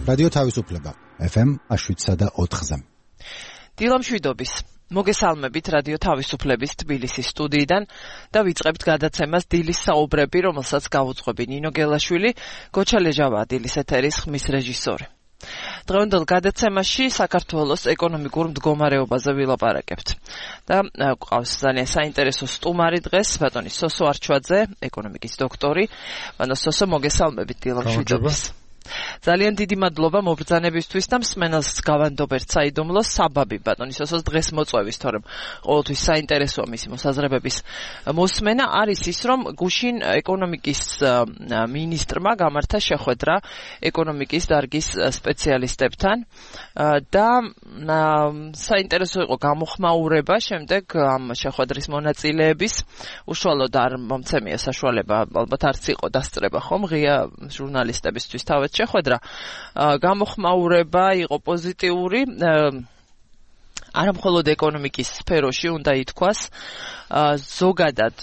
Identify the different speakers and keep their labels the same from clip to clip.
Speaker 1: რადიო თავისუფლება FM 7.4-ზე.
Speaker 2: დილამშვიდობის. მოგესალმებით რადიო თავისუფლების თბილისის სტუდიიდან და ვიწყებთ გადაცემას დილის საუბრები, რომელსაც გავუძღვები ნინო გელაშვილი, გოჩა ლეჟავა დილის ეთერის ხმის რეჟისორი. დღევანდელ გადაცემაში საქართველოს ეკონომიკურ მდგომარეობაზე ვილაპარაკებთ. და გვყავს ძალიან საინტერესო სტუმარი დღეს, ბატონი სოსო არჩვაძე, ეკონომიკის დოქტორი. ბატონო სოსო, მოგესალმებით დილამშვიდობის. ძალიან დიდი მადლობა მობრძანებისთვის და მსმენელს გავანდობერთ საიდუმლო საბაბი ბატონი სოსოს დღეს მოწვევის, თორემ ყოველთვის საინტერესოა მისი მოსაზრებების მოსმენა. არის ის, რომ გუშინ ეკონომიკის მინისტრმა გამართა შეხვედრა ეკონომიკის დარგის სპეციალისტებთან და საინტერესო იყო გამოხმაურება შემდეგ ამ შეხვედრის მონაწილეების. უშუალოდ არ მომცემია საშუალება, ალბათ არც იყო დასწრება ხომ ღია ჟურნალისტებისთვის თავად შეხვედრა. გამოხმაურება იყო პოზიტიური, არა მხოლოდ ეკონომიკის სფეროში უნდა ითქვას, ზოგადად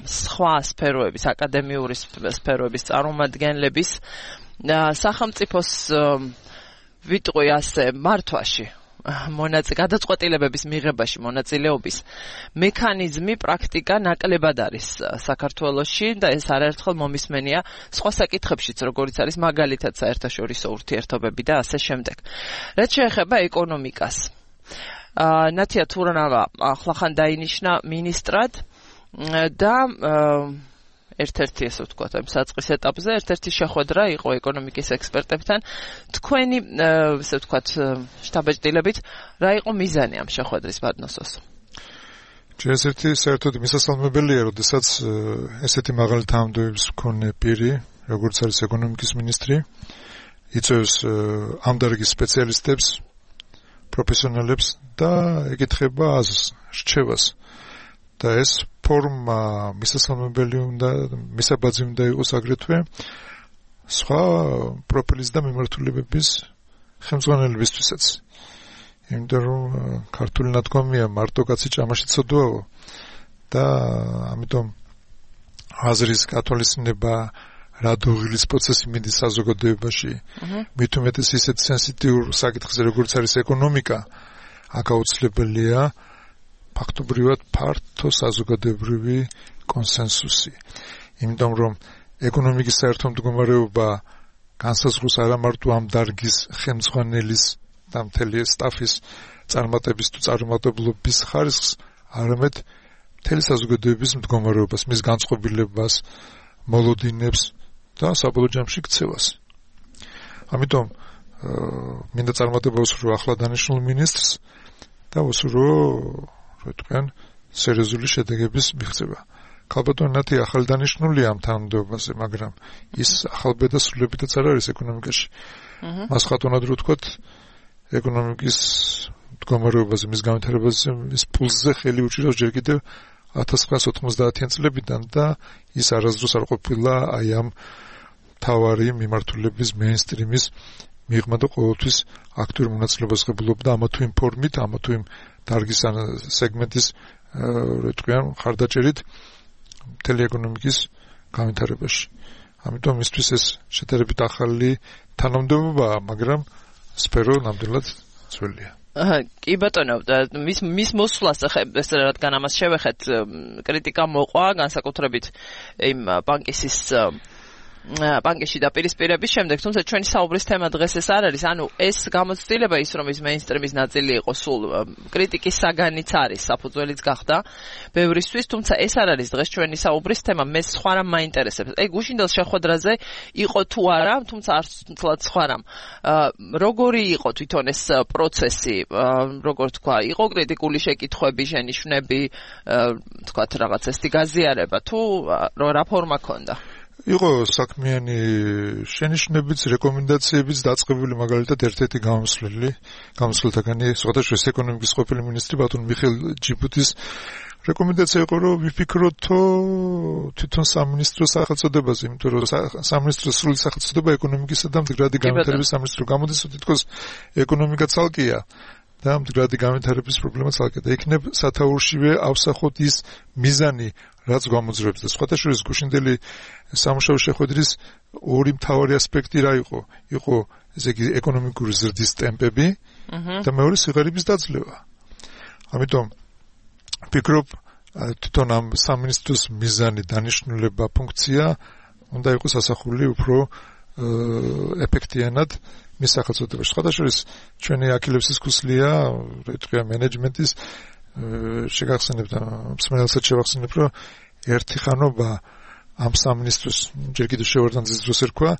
Speaker 2: სხვა სფეროების, აკადემიური სფეროების წარმომადგენლების სახელმწიფოს ვიტყვი ასე მართვაში გადაწყვეტილებების მიღებაში მონაწილეობის მექანიზმი, პრაქტიკა ნაკლებად არის საქართველოში და ეს არაერთხელ მომისმენია სხვა საკითხებშიც, როგორიც არის მაგალითად საერთაშორისო ურთიერთობები და ასე შემდეგ. რაც შეეხება ეკონომიკას, ნათია თურანავა ახლახან დაინიშნა მინისტრად და ერთ-ერთი, ესე ვთქვათ, ამ საწყის ეტაპზე ერთ-ერთი შეხვედრა იყო ეკონომიკის ექსპერტებთან. თქვენი, ესე ვთქვათ, შტაბ-ჭდილებით, რა იყო მიზანი ამ შეხვედრის, ბატონო სოსო?
Speaker 3: ერთ-ერთი საერთოდ მისასალმებელია, როდესაც ესეთი მაღალი თანამდებობის მქონე პირი, როგორც არის ეკონომიკის მინისტრი, იწვევს ამ დარგის სპეციალისტებს, პროფესიონალებს და ეკითხება აზრს, რჩევას. და ეს ფორმა მისასალმებელი უნდა, მისაბაძი უნდა იყოს აგრეთვე სხვა პროფილის და მიმართულებების ხელმძღვანელებისთვისაც. იმიტომ რომ ქართული ნათქვამია მარტო კაცი ჭამაში ცოდვაო და ამიტომ აზრის გათვალისწინება რა დოღილის პროცესი მიდის საზოგადოებაში, მით უმეტეს ისეთ სენსიტიურ საკითხზე, როგორც არის ეკონომიკა, აქ აუცილებელია ფაქტობრივად ფართო საზოგადოებრივი კონსენსუსი. იმიტომ რომ ეკონომიკის საერთო მდგომარეობა განსაზღვროს არა მარტო ამ დარგის ხელმძღვანელის და მთელი სტაფის წარმატების თუ წარმატებლობის ხარისხს, არამედ მთელი საზოგადოების მდგომარეობას, მის განწყობილებას, მოლოდინებს და საბოლოო ჯამში ქცევას. ამიტომ მინდა წარმატება უსურვო ახლა დანიშნულ მინისტრს და უსურვო თქვენ სერიოზული შედეგების მიღწევა. ქალბატონი ნათია ახალი დანიშნულია ამ თანამდებობაზე, მაგრამ ის ახალბედა სრულებითაც არ არის ეკონომიკაში. მას ხათუნად რო ვთქვათ, ეკონომიკის მდგომარეობაზე, მის განვითარებაზე, მის პულსზე ხელი უჭირავს ჯერ კიდევ 1990-იან წლებიდან და ის არასდროს არ ყოფილა აი ამ თავარი მიმართულების მეინსტრიმის მიღმა და ყოველთვის აქტიურ მონაწილეობას ღებულობდა ამა თუ იმ ფორმით, ამა თუ იმ დარგის სეგმენტის ხარდაჭერით მთელი ეკონომიკის განვითარებაში. ამიტომ მისთვის ეს შედარებით ახალი თანამდებობაა, მაგრამ სფერო ნამდვილად ძველია.
Speaker 2: კი ბატონო, მის მოსვლას რადგან ამას შევეხეთ, კრიტიკა მოყვა განსაკუთრებით იმ ბანკში დაპირისპირების შემდეგ, თუმცა ჩვენი საუბრის თემა დღეს ეს არ არის, ანუ ეს გამოცდილება ის რომ ის მეინსტრიმის ნაწილი იყო სულ კრიტიკის საგანიც არის, საფუძველიც გახდა ბევრისთვის, თუმცა ეს არ არის დღეს ჩვენი საუბრის თემა, მე სხვა რამ მაინტერესებს. გუშინდელ შეხვედრაზე იყო თუ არა, თუმცა არც სხვა რამ. როგორი იყო თვითონ ეს პროცესი, როგორ თქვა, იყო კრიტიკული შეკითხვები, შენიშვნები, თქვათ რაღაც ესეთი გაზიარება თუ რა ფორმა ჰქონდა?
Speaker 3: იყო საქმიანი შენიშვნებიც, რეკომენდაციებიც დაწყებული, მაგალითად ერთ-ერთი გამოსვლითაგანი სხვადასხვა ეკონომიკის ყოფილი მინისტრი ბატონ მიხეილ ჯიბუტის რეკომენდაცია იყო, რომ ვიფიქროთო თვითონ სამინისტროს სახელწოდებაზე, იმიტომ რომ სამინისტროს სრული სახელწოდება ეკონომიკისა და მდგრადი განვითარების სამინისტრო გამოდის, თითქოს ეკონომიკა ცალკეა და მდგრადი განვითარების პრობლემა ცალკედა იქნებ სათაურშივე ავსახოთ ის მიზანი რაც გამოძრებს და სხვათა შორის გუშინდელი სამუშაო შეხვედრის ორი მთავარი ასპექტი რა იყო ესე იგი ეკონომიკური ზრდის ტემპები და მეორე სიღარიბის დაძლევა. ამიტომ ვფიქრობ თვითონ ამ სამინისტროს მიზანი დანიშნულება ფუნქცია უნდა იყოს ასახული უფრო ეფექტიანად მის სახელწოდებაში. სხვათა შორის ჩვენი აქილევსის ქუსლია რიტყვია მენეჯმენტის შეგახსენებთ მსმენელსაც შევახსენებ რომ ერთი ხანობა ამ სამინისტროს ჯერ კიდევ შევარდანძის დროს ერქვა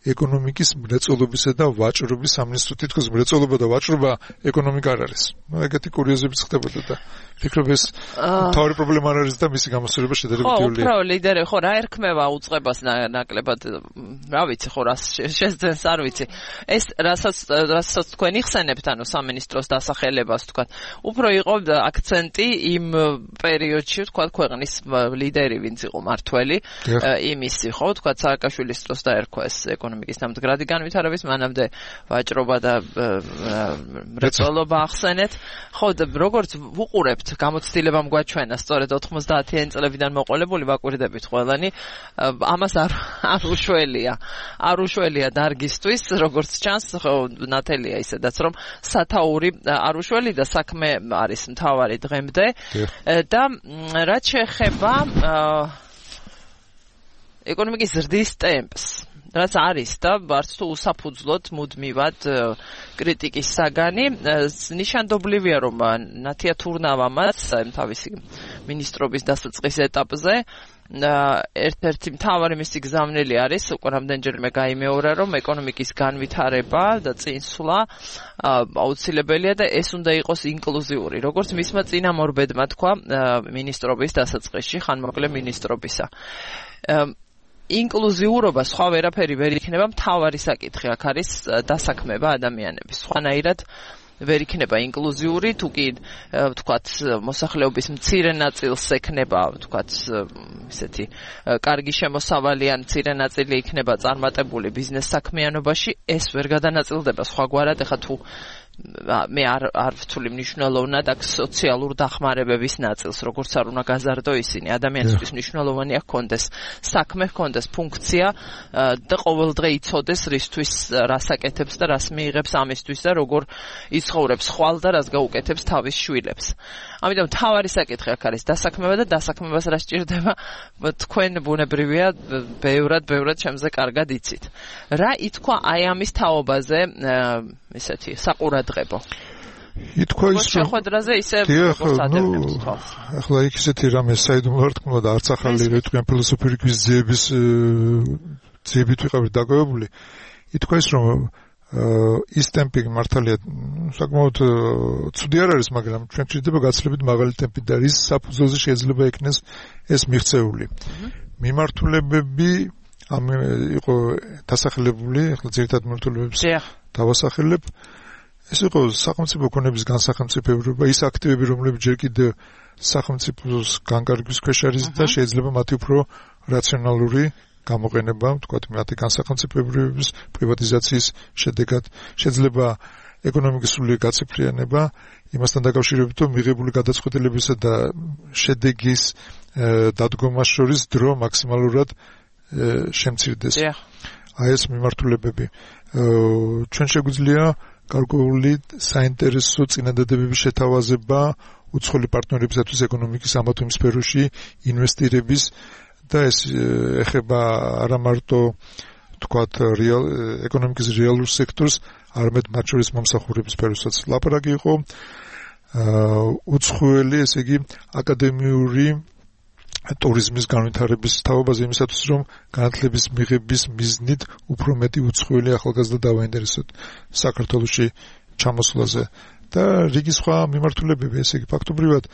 Speaker 3: ეკონომიკის მრეწველობისა და ვაჭრობის სამინისტრო. თითქოს მრეწველობა და ვაჭრობა ეკონომიკა არ არის. ეგეთი კურიოზებიც ხდებოდა და ვფიქრობ ეს თავი პრობლემა არ არის და მისი გამოსწორება შედარებითია.
Speaker 2: ხო, ლიდერი ხო რა ერქმევა უწყებას ნაკლებად რა ვიცი ხო რა შეძენს არ ვიცი. ეს რასაც თქვენ იხსენებთ ანუ სამინისტროს დასახელებას თქვა. უფრო იყო აქცენტი იმ პერიოდში თქვა ქვეყნის ლიდერი ვინც იყო მართველი იმისი ხო თქვა სააკაშვილის დროს დაერქვა ეს ეკონომიკის ნამდვილად განვითარების მანამდე ვაჭრობა და მრეწველობა ახსენეთ. ხო და როგორც ვუყურებთ გამოცდილებამ გვაჩვენა სწორედ 90-იანი წლებიდან მოყოლებული ვაკვირდებით ყველანი ამას არ უშველია დარგისთვის როგორც ჩანს ნათელია ისედაც რომ სათაური არ უშველი და საქმე არის მთავარი დღემდე და რაც შეეხება ეკონომიკის ზრდის ტემპს რაც არის და არც თუ უსაფუძვლოდ მუდმივად კრიტიკის საგანი ნიშანდობლივია რომ ნათია თურნავამაც თავისი მინისტრობის დასაწყის ეტაპზე ერთ-ერთი მთავარი მისი გზავნილი არის უკვე რამდენჯერმე გაიმეორა რომ ეკონომიკის განვითარება და წინსვლა აუცილებელია და ეს უნდა იყოს ინკლუზიური როგორც მისმა წინამორბედმა თქვა მინისტრობის დასაწყისში ხანმოკლე მინისტრობისა ინკლუზიურობა სხვა ვერაფერი ვერ იქნება მთავარი საკითხი აქ არის დასაქმება ადამიანების სხვანაირად ვერ იქნება ინკლუზიური თუ კი ვთქვათ მოსახლეობის მცირე ნაწილს ექნება ვთქვათ ისეთი კარგი შემოსავალიან მცირე ნაწილი იქნება წარმატებული ბიზნეს საქმიანობაში ეს ვერ გადანაწილდება სხვაგვარად ეხლა თუ მე არ ვთვლი მნიშვნელოვნად აქ სოციალურ დახმარებების ნაწილს როგორც არ უნდა გაზარდო ისინი ადამიანისთვის მნიშვნელოვანია ჰქონდეს საქმე ჰქონდეს ფუნქცია და ყოველდღე იცოდეს რისთვის რას აკეთებს და რას მიიღებს ამისთვის და როგორ იცხოვრებს ხვალ და რას გაუკეთებს თავის შვილებს ამიტომ თავარი საკითხი აქ არის დასაქმება და დასაქმებას რა სჭირდება თქვენ ბუნებრივია ბევრად ჩემზე კარგად იცით რა ითქვა აი ამის თაობაზე ისეთი საყურადღებო
Speaker 3: ითქვა ის
Speaker 2: შეხვედრაზე ისე
Speaker 3: ახლა იქ ისეთი რამე საიდუმლო არ თქმულა და არც ახალი რიტყვიან ფილოსოფიური გვიზების ძიებით ვიყავით დაგავებული ითქვა ის რომ ის ტემპი მართალია საკმაოდ ცუდი არ არის მაგრამ ჩვენ გვჭირდება გაცილებით მაღალი ტემპი და ის საფუძველზე შეიძლება იქნეს ეს მიღწეული მიმართულებები ამ იყო დასახელებული ახლა ძირითად მიმართულებებს დავასახელებ ეს იყო სახელმწიფო ქონების განსახელმწიფოება ის აქტივები რომლებიც ჯერ კიდევ სახელმწიფოს განკარგვის ქვეშ არის და შეიძლება მათი უფრო რაციონალური გამოყენება, თქვათ, მათი განსახელმწიფოებების პრივატიზაციის შედეგად შეიძლება ეკონომიკის სრული გაცეფრიანება იმასთან დაკავშირებით, რომ მიღებული გადაწყვეტილებისა და შედეგის დადგომას შორის დრო მაქსიმალურად შემცირდეს. აი ეს მიმართულებები. ჩვენ შეგვიძლია გარკვეული საინტერესო წინადადებების შეთავაზება უცხოელი პარტნიორებისათვის ეკონომიკის ამა თუ იმ სფეროში ინვესტირების და ეს ეხება არა მარტო თქვათ ეკონომიკის რეალურ სექტორს, არამედ მათ შორის მომსახურების სფეროსაც. ლაპარაკი იყო უცხოელი, ესე იგი აკადემიური ტურიზმის განვითარების თაობაზე იმისათვის, რომ განათლების მიღების მიზნით უფრო მეტი უცხოელი ახალგაზრდა დავაინტერესოთ საქართველოში ჩამოსვლაზე და რიგი სხვა მიმართულებები, ესე იგი ფაქტობრივად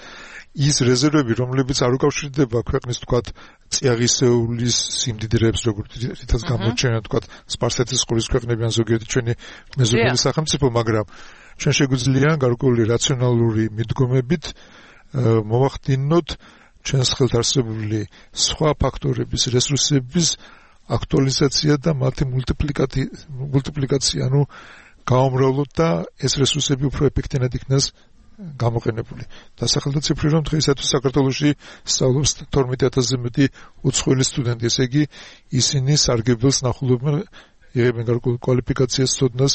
Speaker 3: ის რეზერვები, რომლებიც არ უკავშირდება ქვეყნის თქვათ წიაღისეულის სიმდიდრეებს, როგორც რითაც გამოჩენა თქვათ სპარსეთის ყურის ქვეყნები ან ზოგიერთი ჩვენი მეზობელი სახელმწიფო, მაგრამ ჩვენ შეგვიძლია გარკვეული რაციონალური მიდგომებით მოვახდინოთ ჩვენს ხელთ არსებული სხვა ფაქტორების რესურსების აქტუალიზაცია და მათი მულტიპლიკაცია, ანუ გაუმრავლოთ და ეს რესურსები უფრო ეფექტიანად იქნას გამოყენებული. დასახელდა ციფრი, რომ დღეისათვის საქართველოში სწავლობს 12000-ზე მეტი უცხოელი სტუდენტი, ესე იგი ისინი სარგებელს ნახულობენ, იღებენ გარკვეულ კვალიფიკაციას, ცოდნას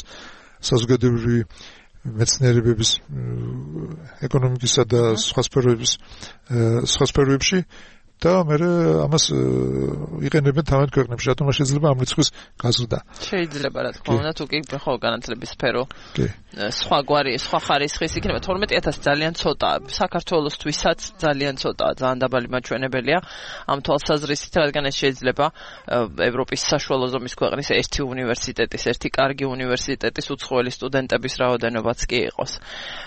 Speaker 3: საზოგადოებრივი მეცნიერებების, ეკონომიკისა და სხვა სფეროებში და მე ამას იყენებენ თავად ქვეყნებში, რატომ შეიძლება ამ რიცხვის გაზრდა.
Speaker 2: შეიძლება რა თქმა უნდა, თუ კი ხო განათლების სფერო სხვაგვარი, სხვა ხარისხის იქნება 12000 ძალიან ცოტაა. საქართველოსთვისაც ძალიან ცოტაა, ძალიან დაბალი მაჩვენებელია ამ თვალსაზრისით, რადგან ეს შეიძლება ევროპის საშუალო ზომის ქვეყნის ერთი უნივერსიტეტის, ერთი კარგი უნივერსიტეტის უცხოელი სტუდენტების რაოდენობაც კი იყოს.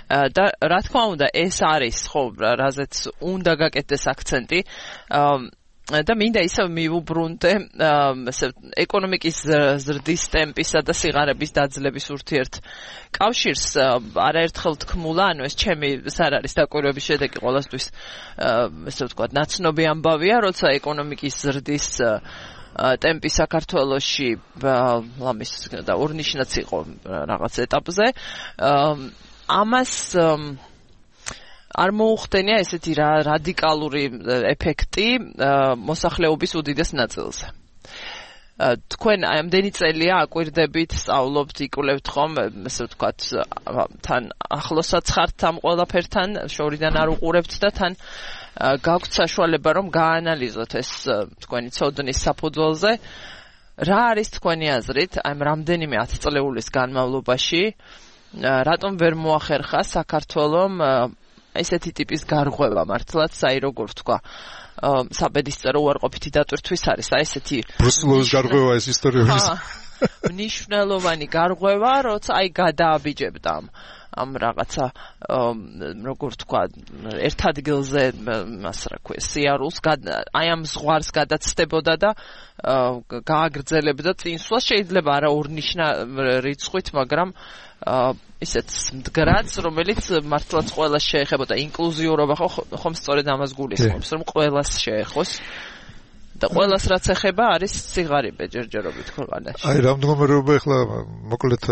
Speaker 2: და რა თქმა უნდა, ეს არის ხო, რაზეც უნდა გაკეთდეს აქცენტი. და მინდა ისევ მივუბრუნდე ეკონომიკის ზრდის ტემპისა და სიღარიბის დაძლევის ურთიერთ კავშირს არაერთხელ თქმულა, ანუ ეს ჩემი არ არის დაკვირვების შედეგი ყოველთვის ესე ვთქვათ ნაცნობი ამბავია, როცა ეკონომიკის ზრდის ტემპი საქართველოში ლამის და ორნიშნაც იყო რაღაც ეტაპზე ამას არ მოუხდენია ესეთი რადიკალური ეფექტი მოსახლეობის უდიდეს ნაწილზე. თქვენ ამდენი წელია აკვირდებით, სწავლობთ, იკვლევთ ხომ, ესე ვთქვათ, თან ახლოსაც ხართ ამ ყველაფერთან, შორიდან არ უყურებთ და თან გაქვთ საშუალება რომ გაანალიზოთ ეს თქვენი ცოდნის საფუძველზე. რა არის თქვენი აზრით, აი რამდენიმე 10 წლეულის განმავლობაში, რატომ ვერ მოახერხა საქართველომ ესეთი ტიპის გარღვევა მართლაც, აი როგორ ვთქვა, საბედისწერო უარყოფითი დატვირთვის არის, აი ესეთი
Speaker 3: ბრუსელოვის გარღვევა ეს ისტორიების
Speaker 2: მნიშვნელოვანი გარღვევა, როცა აი გადააბიჯებდა ამ რაღაცა როგორ ვთქვა, ერთ ადგილზე მას რა ქვია, სიარულს, აი ამ ზღვარს გადაცდებოდა და გააგრძელებდა წინსვლას, შეიძლება არა ორნიშნა რიცხვით, მაგრამ ისეთ მდგრადს, რომელიც მართლაც ყველას შეეხებოდა. ინკლუზიურობა ხომ სწორედ ამას გულისხმობს, რომ ყველას შეეხოს და ყველას რაც ეხება არის სიღარიბე ჯერჯერობით ქვეყანაში.
Speaker 3: აი რა მდგომარეობა ახლა მოკლედ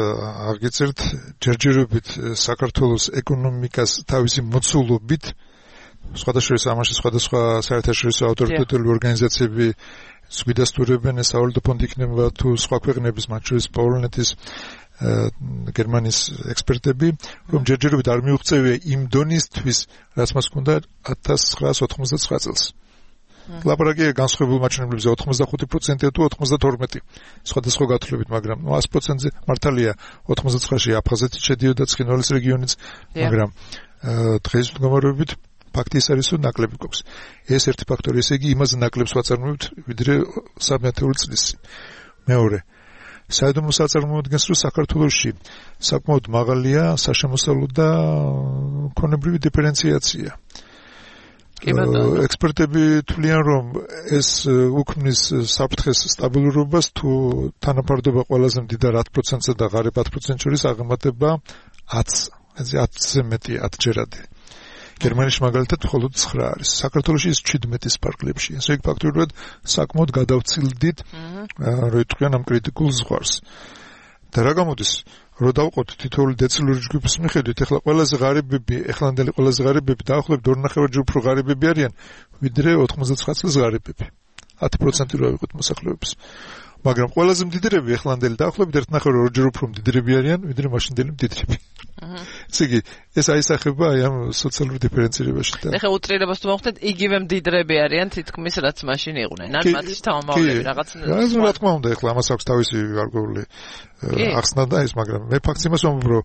Speaker 3: აღგეწერთ, ჯერჯერობით საქართველოს ეკონომიკას თავისი მოცულობით, სხვადასხვა ამაში სხვადასხვა საერთაშორისო ავტორიტეტული ორგანიზაციები გვიდასტურებენ, ეს სავალუტო ფონდი იქნება თუ სხვა ქვეყნების, მათ შორის პოლონეთის გერმანიის ექსპერტები, რომ ჯერჯერობით არ მიუღწევია იმ დონისთვის, რაც მას ჰქონდა 1999 წელს. ლაპარაკია განსხვავებულ მაჩვენებლებზე 85% თუ 92%. სხვადასხვა გათვლებით, მაგრამ 100%-ზე მართალია 99-ში აფხაზეთი შედიოდა ცხინვალის რეგიონიც, მაგრამ დღეს მდგომარეობით ფაქტი ის არის, რომ ნაკლები გვაქვს. ეს ერთი ფაქტორი, ესე იგი იმაზე ნაკლებს ვაწარმოებთ, ვიდრე 30 წლის წინ. მეორე საიდუმლო საწარმოადგენს, რომ საქართველოში საკმაოდ მაღალია საშემოსავლო და ქონებრივი დიფერენციაცია. ექსპერტები თვლიან, რომ ეს უქმნის საფრთხეს სტაბილურობას, თუ თანაფარდობა ყველაზე მდიდარ 10%-ზე და ღარიბ 10% შორის აღემატება 10-ზე მეტი 10-ჯერადი. გერმანიაში მაგალითად მხოლოდ 9 არის. საქართველოში ის 17-ის ფარგლებში. ესე იგი ფაქტობრივად საკმაოდ გადავცილდით, რო იტყვიან ამ კრიტიკულ ზღვარს. და რა გამოდის, რო დავყოთ თითოეული დეცილური ჯგუფის მიხედვით, ეხლა ყველაზე ღარიბები, ეხლანდელი ყველაზე ღარიბები დაახლოებით 2.5 ჯერ უფრო ღარიბები არიან, ვიდრე 99 წლის ღარიბები. 10% რო ავიღოთ მოსახლეობის. მაგრამ ყველაზე მდიდრები ეხლანდელი დაახლოებით 1.5 ჯერ უფრო მდიდრები არიან, ვიდრე მაშინდელი მდიდრები. ესე იგი, ეს აისახება აი ამ სოციალურ დიფერენცირებაში და
Speaker 2: ეხლა უტრირებას თუ მოხდეთ, იგივე მდიდრები არიან თითქმის რაც მაშინ იყვნენ. ან მათი თავმოყრები რაღაც
Speaker 3: რა თქმა უნდა, ეხლა ამას აქვს თავისი გარკვეული ახსნა და ის, მაგრამ მე ფაქტს იმას ვამბობ, რომ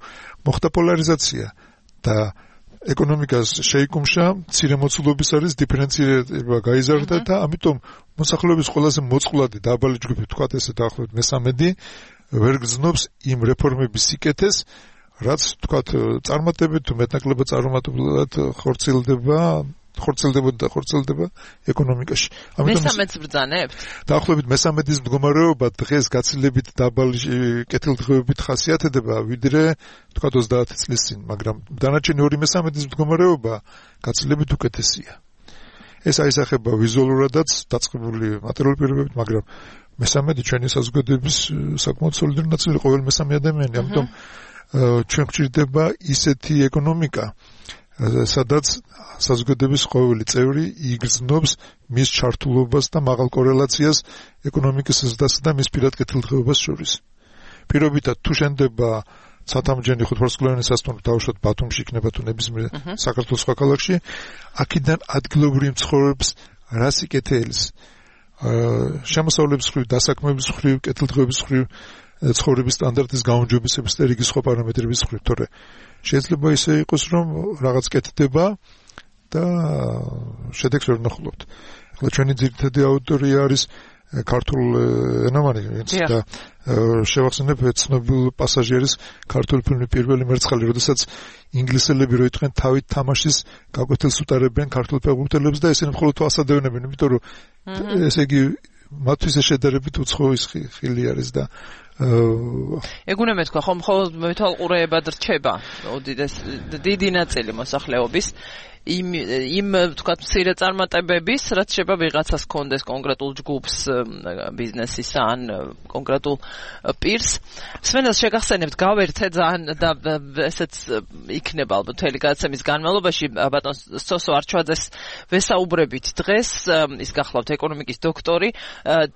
Speaker 3: მოხდა პოლარიზაცია და ეკონომიკას შეიკუმშა, მცირე მოცულობის არის დიფერენცირება გაიზარდა და ამიტომ მოსახლეობის ყველაზე მოწყვლადი დაბალი ჯგუფი, თქვათ ესე დაახლოებით მე-13 ვერ გრძნობს იმ რეფორმების სიკეთეს, რაც თქვათ წარმატებით თუ მეტნაკლებად წარუმატებლად ხორციელდება ეკონომიკაში.
Speaker 2: ამიტომ მე-13-ს ბრძანებთ?
Speaker 3: დაახლოებით მე-13-ის მდგომარეობა დღეს გაცილებით დაბალი კეთილდღეობით ხასიათდება, ვიდრე თქვათ 30 წლის წინ, მაგრამ დანარჩენი 2 მე-13-ის მდგომარეობა გაცილებით უკეთესია. ეს აისახება ვიზუალურადაც დაწყებული მატერიალური პირობებით, მაგრამ მესამედი ჩვენი საზოგადოების საკმაოდ სოლიდური ნაწილი ყოველ მესამე ადამიანი, ამიტომ ჩვენ გვჭირდება ისეთი ეკონომიკა, სადაც საზოგადოების ყოველი წევრი იგრძნობს მის ჩართულობას და მაღალ კორელაციას ეკონომიკის ზრდასა და მის პირად კეთილდღეობას შორის. პირობითად თუ შენდება ცათამბჯენი ხუთვარსკვლავიანი სასტუმრო დაუშვათ ბათუმში იქნება თუ ნებისმიერ საქართველოს სხვა ქალაქში, აქედან ადგილობრივ მცხოვრებს რას იკეთებს? შემოსავლების მხრივ, დასაქმების მხრივ, კეთილდღეობის მხრივ, ცხოვრების სტანდარტის გაუმჯობესების და რიგი სხვა პარამეტრების მხრივ, თორე შეიძლება ისე იყოს, რომ რაღაც კეთდება და შედეგს ვერ ნახულობთ. ახლა ჩვენი ძირითადი აუდიტორია არის ქართულ ენოვანი და შევახსენებ ცნობილ პასაჟირის ქართული ფილმი პირველი მერცხალი, როდესაც ინგლისელები რო იტყვიან თავით თამაშის გაკვეთილს უტარებენ ქართულ ფეხბურთელებს და ესენი მხოლოდ ასადევნებენ, იმიტომ რომ ესე იგი მათთვის შედარებით უცხოური ხილი არის და
Speaker 2: ეგ უნდა მეთქვა, ხომ მხოლოდ მეთვალყურეებად რჩება დიდი ნაწილი მოსახლეობის იმ თქვათ მცირე წარმატებების, რაც შეიძლება ვიღაცას კონდეს კონკრეტულ ჯგუფს, ბიზნესისა ან კონკრეტულ პირს. სვენელს შეგახსენებთ, გავერთე ძალიან და ესეც იქნება ალბათ მთელი გადაცემის განმავლობაში ბატონ სოსო არჩვაძეს ვესაუბრებით დღეს, ის გახლავთ ეკონომიკის დოქტორი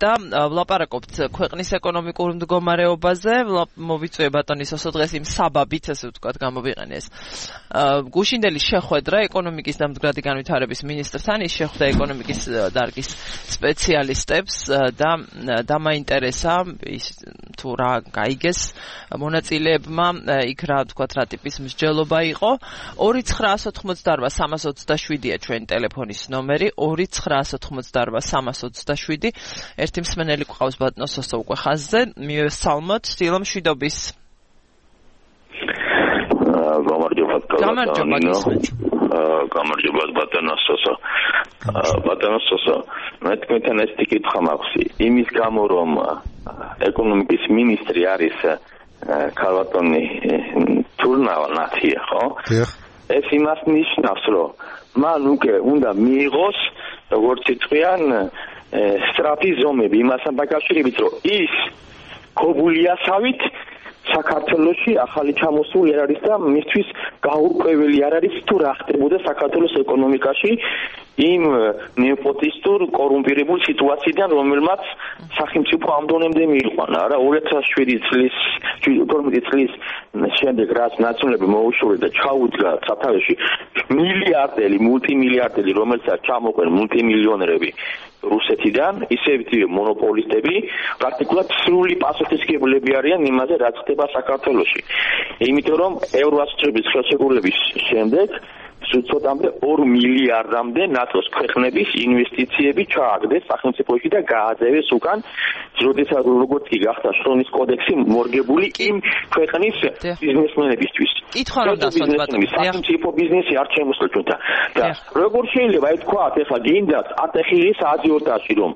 Speaker 2: და ვლაპარაკობთ ქვეყნის ეკონომიკურ მდგომარეობაზე, მოვიწვია ბატონი სოსო დღეს იმ საბაბით, ესე ვთქვათ, გამოვიყენეს. გუშინდელი შეხვედრა ეკონომიკის და მდგრადი განვითარების მინისტრთან, ის შეხვდა ეკონომიკის დარგის სპეციალისტებს და დამაინტერესა ის თუ რა გაიგეს მონაწილეებმა, იქ რა თქვათ რა ტიპის მსჯელობა იყო. 2988327-ია ჩვენი ტელეფონის ნომერი, 2988327. ერთი მსმენელი გვყავს ბატონო სოსო უკვე ხაზზე, მივესალმოთ, დილომშვიდობის. გამარჯობა გისმენთ.
Speaker 4: გამარჯობა ბატონო სოსო. ბატონო სოსო, მე თქვენთან ეს კითხვა მაქვს. იმის გამო რომ ეკონომიკის მინისტრი არის ქალბატონი თურნავანათია, ხო? ეს იმას ნიშნავს, რომ მან უკვე უნდა მიიღოს, როგორც იტყვიან, სწრაფი ზომები იმასთან დაკავშირებით, რომ ის ქობულიასავით საქართველოში ახალი ჩამოსული არ არის და მისთვის გაურკვეველი არ არის თუ რა ხდებოდა საქართველოს ეკონომიკაში იმ ნეპოტისტურ კორუმპირებულ სიტუაციიდან, რომელმაც სახელმწიფო ამ დონემდე მიიყვანა. რა 2007 წლის 12 წლის შემდეგ რაც ნაციონალები მოუშორე და ჩაუდგა სათავეში მილიარდელი, მულტიმილიარდელი, რომელსაც ჩამოყვენ მულტიმილიონერები რუსეთიდან, ისევ მონოპოლისტები, პრაქტიკულად სრული პასუხისმგებლები არიან იმაზე, რაც ხდება საქართველოში. იმიტომ რომ ევროასოციაციის ხელშეკრულების შემდეგ ცოტამდე 2 მილიარდამდე ნატოს ქვეყნების ინვესტიციები ჩააგდეს სახელმწიფოში და გააძევეს უკან, როდესაც როგორც კი გახდა შრომის კოდექსი მორგებული იმ ქვეყნის ბიზნესმენებისთვის.
Speaker 2: კითხვა რომ დასვათ ბატონო,
Speaker 4: სახელმწიფო ბიზნესი არ შემოსულა ჩვენთან. და როგორ შეიძლება ითქვათ, ახლა გინდათ ატეხილი სააზიოტაჟი რომ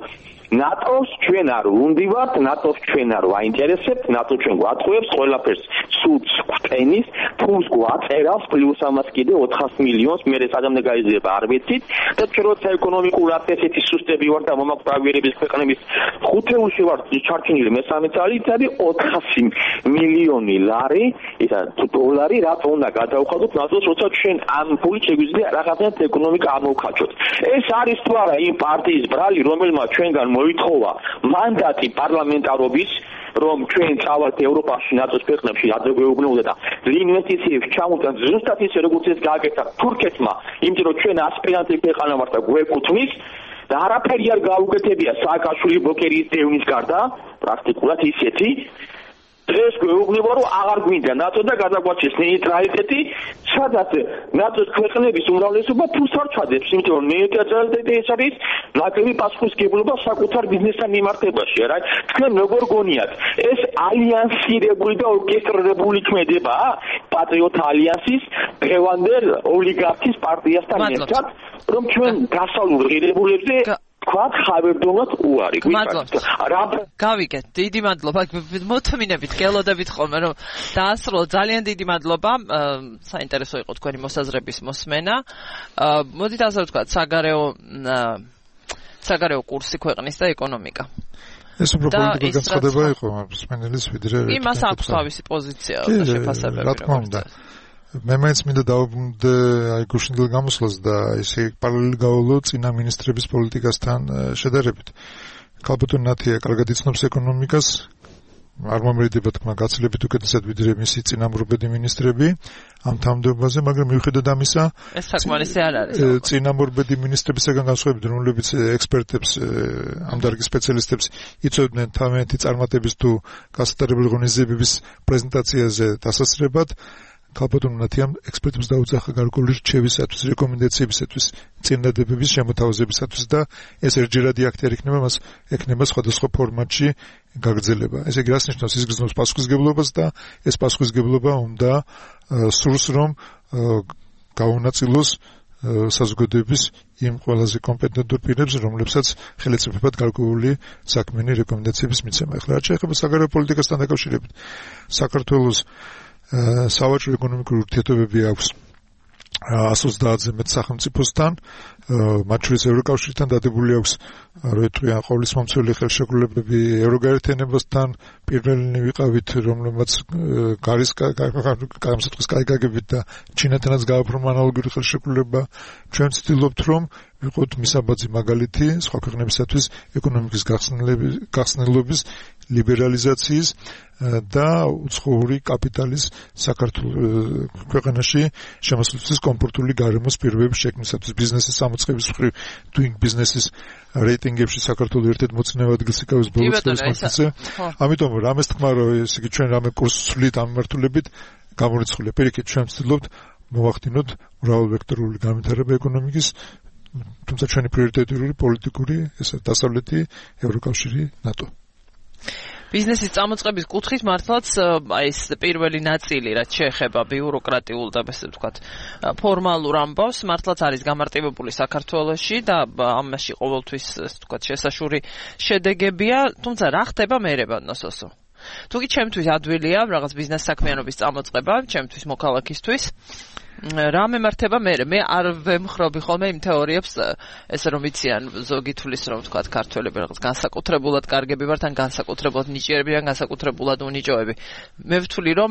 Speaker 4: ნატოს ჩვენ არ ვუნდივართ, ნატოს ჩვენ არ ვაინტერესებთ, ნატო ჩვენ გვატყუებს ყველაფერს, სულს გვტენის, ფულს გვაწერავს, პლუს ამას კიდე 400 მილიონს მერე სადამდე გაიზრდება არ ვიცით და ჩვენ როცა ეკონომიკურად ესეთი სუსტები ვარ და მომაკვდავიერების ქვეყნების ხუთეულში ვარ ჩარჩენილი მესამე წელიწად 400 მილიონი ლარი, ისა დოლარი, რაც უნდა გადავხადოთ ნატოს, როცა ჩვენ ამ ფულით შეგვიძლია რაღაცნაირად ეკონომიკა ამოვქაჩოთ. ეს არის თუ არა იმ პარტიის ბრალი, რომელმაც ჩვენგან მოითხოვა მანდატი პარლამენტარობის, რომ ჩვენ წავალთ ევროპაში, ნატოს ქვეყნებში, ადრე გვეუბნებოდა და ინვესტიციებს ჩამოვთანთ ზუსტად ისე როგორც ეს გააკეთა თურქეთმა, იმიტომ რომ ჩვენ ასპირანტი ქვეყანა ვართ და გვეკუთვნის და არაფერი არ გაუკეთებია სააკაშვილი ბლოკერის დევნის გარდა, პრაქტიკულად ისეთი დღეს გვეუბნება რომ აღარ გვინდა ნატო და გადაგვაჩეს ნეიტრალიტეტი, სადაც ნატოს ქვეყნების უმრავლესობა ფულს არ ჩადებს, იმიტომ რომ ნეიტრალიტეტი ეს არის ნაკლები პასუხისმგებლობა საკუთარ ბიზნესთან მიმართებაში, რა. თქვენ როგორ გონიათ, ეს ალიანსირებული და ორკესტრირებული ქმედება, პატრიოტ ალიანსის დღევანდელ ოლიგარქის პარტიასთან ერთად, რომ ჩვენ დასავლურ ღირებულებზე თქვათ ხავერდონად უარი
Speaker 2: გავიგეთ, დიდი მადლობა, მოთმინებით, გელოდებით ხოლმე, რომ დაასრულოთ, ძალიან დიდი მადლობა, საინტერესო იყო თქვენი მოსაზრების მოსმენა. მოდით ასე ვთქვათ, საგარეო კურსი ქვეყნის და ეკონომიკა.
Speaker 3: ეს უფრო პოლიტიკური განცხადება იყო სპენელის ვიდრე
Speaker 2: იმას აქვს თავისი პოზიცია და შეფასებები.
Speaker 3: რა თქმა უნდა. მე მაინც მინდა დავუბრუნდე აი გუშინდელ გამოსვლას და ესე პარალელი გავავლო წინა მინისტრების პოლიტიკასთან შედარებით. ქალბატონ ნათია კარგად იცნობს ეკონომიკას, არ მომრიდება თქმა გაცილებით უკეთესად ვიდრე მისი წინამორბედი მინისტრები ამ თანამდებობაზე, მაგრამ მიუხედავად ამისა,
Speaker 2: ეს საკმარისი არ არის.
Speaker 3: წინამორბედი მინისტრებისგან განსხვავებით, რომლებიც ექსპერტებს, ამ დარგის სპეციალისტებს იწვევდნენ თავიანთი წარმატების თუ გასატარებელი ღონისძიებების პრეზენტაციაზე დასასრებად, ქალბატონ ნათიამ ექსპერტებს დაუძახა გარკვეული რჩევისათვის, რეკომენდაციებისათვის, წინადადებების შემოთავაზებისათვის და ეს ერთჯერადი აქტი არ იქნება, მას ექნება სხვადასხვა ფორმატში გაგრძელება. ესე იგი, რას ნიშნავს? ის გრძნობს პასუხისგებლობას და ეს პასუხისგებლობა უნდა სურს, რომ გაუნაწილოს საზოგადოების იმ ყველაზე კომპეტენტურ პირებს, რომლებსაც ხელისუფლებად გარკვეული საქმიანი რეკომენდაციების მიცემა. ახლა რაც შეეხება საგარეო პოლიტიკასთან დაკავშირებით, საქართველოს სავაჭრო ეკონომიკური ურთიერთობები აქვს 130-ზე მეტ სახელმწიფოსთან, მათ შორის ევროკავშირთან დადებული აქვს როიტყვიან ყოვლისმომცველი ხელშეკრულებები ევროგაერთიანებასთან, პირველი ვიყავით, რომლებმაც გამოსაწყის კაიგაგებით და ჩინეთანაც გააფორმა ანალოგიური ხელშეკრულება. ჩვენ ვცდილობთ, რომ ვიყოთ მისაბაძი მაგალითი სხვა ქვეყნებისათვის ეკონომიკის გახსნილობის, ლიბერალიზაციის და უცხოური კაპიტალის საქართველოს ქვეყანაში შემოსვლისთვის კომფორტული გარემოს პირობების შექმნისათვის, ბიზნესის გამოწყების მხრივ doing business-ის რეიტინგებში საქართველოს ერთ-ერთ მოწინავე ადგილს იკავებს ბოლო წლებში. ამიტომ რამეს თქმა, რომ ესე იგი ჩვენ რამე კურსს ვსვლით ამ მიმართულებით გამორიცხულია. პირიქით ჩვენ ვცდილობთ მოვახდინოთ მრავალვექტორული განვითარება ეკონომიკის, თუმცა ჩვენი პრიორიტეტული პოლიტიკური ესა დასავლეთი, ევროკავშირი, ნატო.
Speaker 2: ბიზნესის წამოწყების კუთხით მართლაც აი ეს პირველი ნაწილი, რაც შეეხება ბიუროკრატიულ და ასე ვთქვათ, ფორმალურ ამბავს, მართლაც არის გამარტივებული საქართველოში და ამაში ყოველთვის ასე ვთქვათ შესაშური შედეგებია, თუმცა რა ხდება მერე ნოსოსო? თუკი ჩემთვის ადვილია რაღაც ბიზნეს საქმიანობის წამოწყება, ჩემთვის მოქალაქისთვის, რა მემართება მე არ ვემხრობი ხოლმე იმ თეორიებს, ესე რომ იციან ზოგი თulis რომ ვთქვათ ქართველები რაღაც განსაკუთრებულად კარგები ვართ, ან განსაკუთრებულად ნიჭიერები, ან განსაკუთრებულად უნიჭოები. მე ვთვლი რომ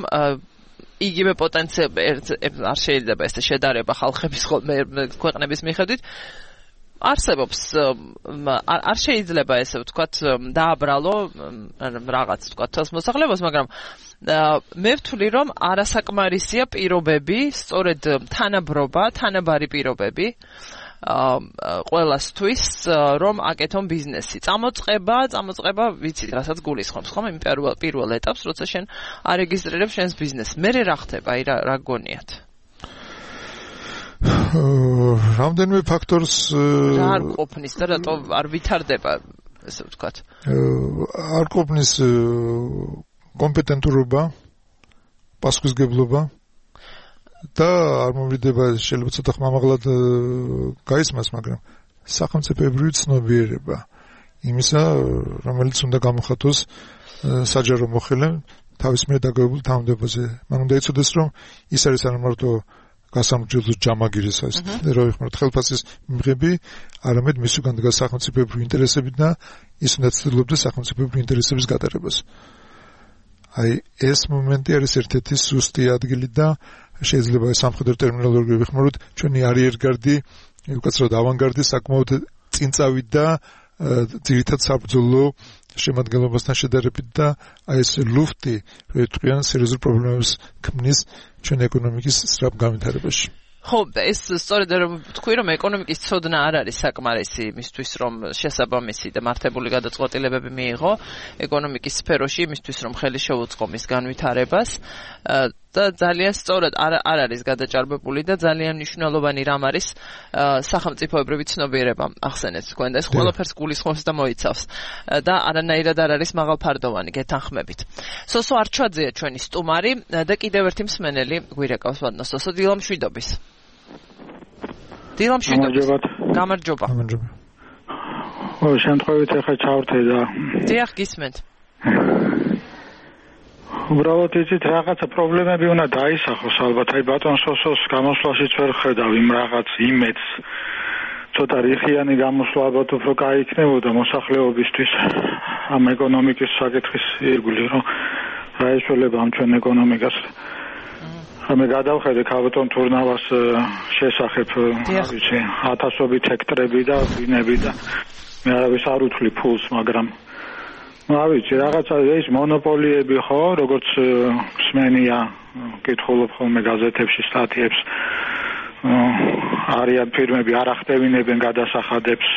Speaker 2: იგივე პოტენციალი არ შეიძლება ესე შედარება ხალხების ხოლმე ქვეყნების მიხედვით არსებობს, არ შეიძლება ესე ვთქვათ დააბრალო რაღაც ვთქვათ თელს მოსახლეობას, მაგრამ მე ვთვლი რომ არასაკმარისია პირობები, სწორედ თანაბარი პირობები ყველასთვის, რომ აკეთონ ბიზნესი. წამოწყება ვიცით, რასაც გულისხმობს, ხომ? იმ პირველ ეტაპს, როცა შენ არეგისტრირებ შენს ბიზნესს. მერე რა ხდება? აი რა გონიათ?
Speaker 3: რამდენიმე ფაქტორს
Speaker 2: არ ყოფნის და რატო არ ვითარდება, ესე ვთქვათ.
Speaker 3: არ ყოფნის კომპეტენტურობა, პასუხისგებლობა და არ მომრიდება, შეიძლება ცოტა ხმამაღლად გაისმას, მაგრამ სახელმწიფოებრივი ცნობიერება იმისა, რომელიც უნდა გამოხატოს საჯარო მოხელემ თავის მიერ დაგავებულ თანამდებობაზე. მან უნდა იცოდეს, რომ ის არის არა მარტო გასამრჯელოს ჯამაგირის ეს რა ვიხმართ ხელფასის მიღები, არამედ მის უკან დგას სახელმწიფოებრივი ინტერესები და ის უნდა ცდილობდეს სახელმწიფოებრივი ინტერესების გატარებას. აი ეს მომენტი არის ერთ-ერთი სუსტი ადგილი და შეიძლება სამხედრო ტერმინოლოგიით ვიხმაროთ, ჩვენი არიერგარდი, უკაცრავად ავანგარდი საკმაოდ წინწავი და ძირითად საბრძოლო შემადგენლობასთან შედარებით და აი ეს ლუფტი როიტყვიან სერიოზულ პრობლემებს ქმნის ჩვენ ეკონომიკის სწრაფ განვითარებაში.
Speaker 2: ხო, ეს სწორედ რომ თქვი, რომ ეკონომიკის ცოდნა არ არის საკმარისი იმისთვის, რომ შესაბამისი და მართებული გადაწყვეტილებები მიიღო ეკონომიკის სფეროში, იმისთვის, რომ ხელი შეუწყო მის განვითარებას და ძალიან სწორად არ არის გადაჭარბებული და ძალიან მნიშვნელოვანი რამ არის სახელმწიფოებრივი ცნობიერება ახსენეთ თქვენ და ეს ყველაფერს გულისხმობს და მოიცავს და არანაირად არ არის მაღალფარდოვანი გეთანხმებით. სოსო არჩვაძეა ჩვენი სტუმარი და კიდევ ერთი მსმენელი გვირეკავს ვადნო სოსო დილამშვიდობის. გამარჯობა.
Speaker 5: ხო, შემთხვევით ახლა ჩავრთე და
Speaker 2: დიახ, გისმენთ.
Speaker 5: უბრალოდ იცით რაღაცა პრობლემები უნდა დაისახოს ალბათ. აი ბატონ სოსოს გამოსვლაშიც ვერ ხედავ იმ რაღაც იმედს. ცოტა რიხიანი გამოსვლა ალბათ უფრო კაი იქნებოდა მოსახლეობისთვის. ამ ეკონომიკის საკითხის ირგვლივ, რომ რა ეშველება ამ ჩვენ ეკონომიკას. მე გადავხედე ქალბატონ თურნავას შესახებ, ვიცი, ათასობით ჰექტარები და ბინები და მე არავის არ უთვლი ფულს, მაგრამ ვიცი, რაღაცა ეს მონოპოლიები ხო, როგორც სმენია, კითხულობ ხოლმე გაზეთებში სტატიებს, არიან ფირმები არ ახდევინებენ გადასახადებს,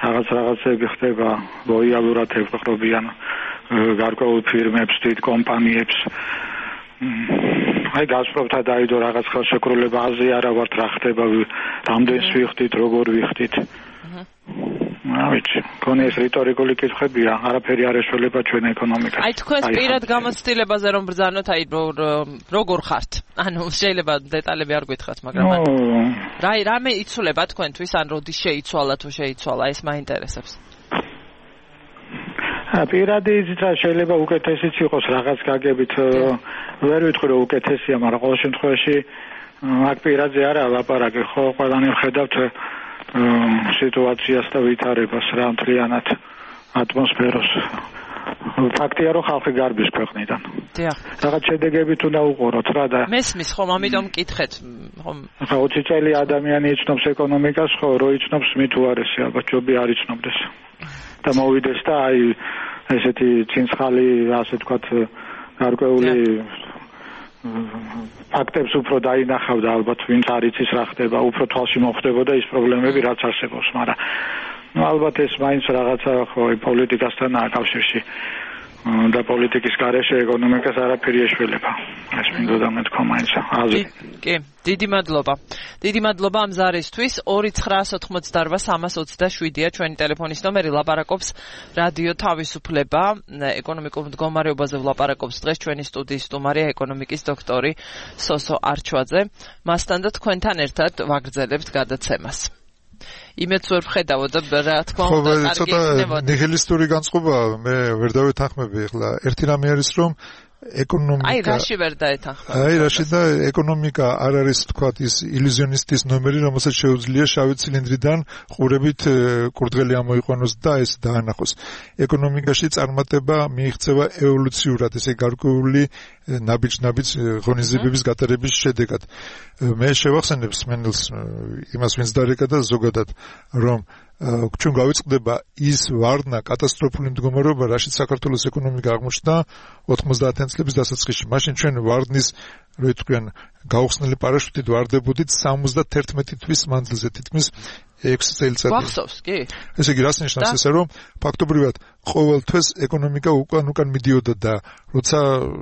Speaker 5: რაღაცები ხდება, ლოიალურად ევყრობიან გარკვეულ ფირმებს, დიდ კომპანიებს. აი გაზპრომთა დაიდო რაღაც ხელშეკრულება აზრი არა ვართ რა ხდება, რამდენს ვიხდით, როგორ ვიხდით. ვიცი, კონე ეს რიტორიკული კითხვებია, არაფერი არ ეშველება ჩვენ ეკონომიკას.
Speaker 2: აი თქვენს პირად გამოცდილებაზე რომ ბრძანოთ, აი როგორ ხართ? ანუ შეიძლება დეტალები არ გითხრათ, მაგრამ რამე იცვლება თქვენთვის, ან როდის შეიცვალა თუ შეიცვალა, ეს მაინტერესებს.
Speaker 5: პირადი იზრდა შეიძლება უკეთესიც იყოს რაღაც გაგებით, ვერ ვიტყვი რომ უკეთესია, მაგრამ ყოველ შემთხვევაში აქ პირადზე არა ლაპარაკი, ხო, ყველანი ვხედავთ სიტუაციას და ვითარებას რა მთლიანად ატმოსფეროს. ფაქტია რომ ხალხი გარბის ქვეყნიდან. დიახ. რაღაც შედეგებით უნდა უყუროთ რა და
Speaker 2: მესმის ხომ, ამიტომ მკითხეთ, ხომ.
Speaker 5: ხა 20 წელი ადამიანი იცნობს ეკონომიკას, ხო, რო იცნობს მით უარესი, ალბათ ჯობი არ იცნობდეს. და მოვიდეს და აი ესეთი ცინცხალი, ასე ვთქვათ, გარკვეული ფაქტებს უფრო დაინახავდა ალბათ, ვინც არ იცის რა ხდება, უფრო თვალში მოხვდებოდა ის პრობლემები, რაც არსებობს, მაგრამ ალბათ ეს მაინც რაღაცა ხო პოლიტიკასთანაა კავშირში და პოლიტიკის გარეშე ეკონომიკას არაფერი ეშველება. ეს მინდოდა მეთქვა მაინც აზრი.
Speaker 2: კი, დიდი მადლობა. დიდი მადლობა ამ ზარისთვის. 2988327-ია ჩვენი ტელეფონის ნომერი, ლაპარაკობს რადიო თავისუფლება, ეკონომიკურ მდგომარეობაზე ვლაპარაკობს დღეს ჩვენი სტუდიის სტუმარია ეკონომიკის დოქტორი სოსო არჩვაძე. მასთან და თქვენთან ერთად ვაგრძელებთ გადაცემას. იმედს ვერ ვხედავთ და რა თქმა უნდა კარგი იქნებოდა.
Speaker 3: ნიჰილისტური განწყობა მე ვერ დავეთანხმები ახლა. ერთი რამე არის რომ ეკონომიკა
Speaker 2: აი რაში ვერ დაეთანხმება.
Speaker 3: აი რაში და ეკონომიკა არ არის თქვათ ის ილუზიონისტის ნომერი, რომელსაც შეუძლია შავი ცილინდრიდან ყურებით კურდღელი ამოიყვანოს და ეს დაანახოს. ეკონომიკაში წარმატება მიიღწევა ევოლუციურად, ესე გარკვეული ნაბიჯ-ნაბიჯ ღონისძიებების გატარების შედეგად. მე შევახსენებ სმენელს იმას ვინც დარეკა და ზოგადად რომ ჩვენ გავიწყდება ის ვარდნა კატასტროფული მდგომარეობა, რაშიც საქართველოს ეკონომიკა აღმოჩნდა 90-იან წლების დასაწყისში. მაშინ ჩვენ ვარდნის რო იტყვიან გაუხსნელი პარაშუტით ვარდებოდით 71 თვის მანძილზე, თითქმის 6 წელიწადი.
Speaker 2: გვახსოვს, კი.
Speaker 3: ესე იგი რას ნიშნავს ესე რომ ფაქტობრივად ყოველ თვეს ეკონომიკა უკან მიდიოდა და როცა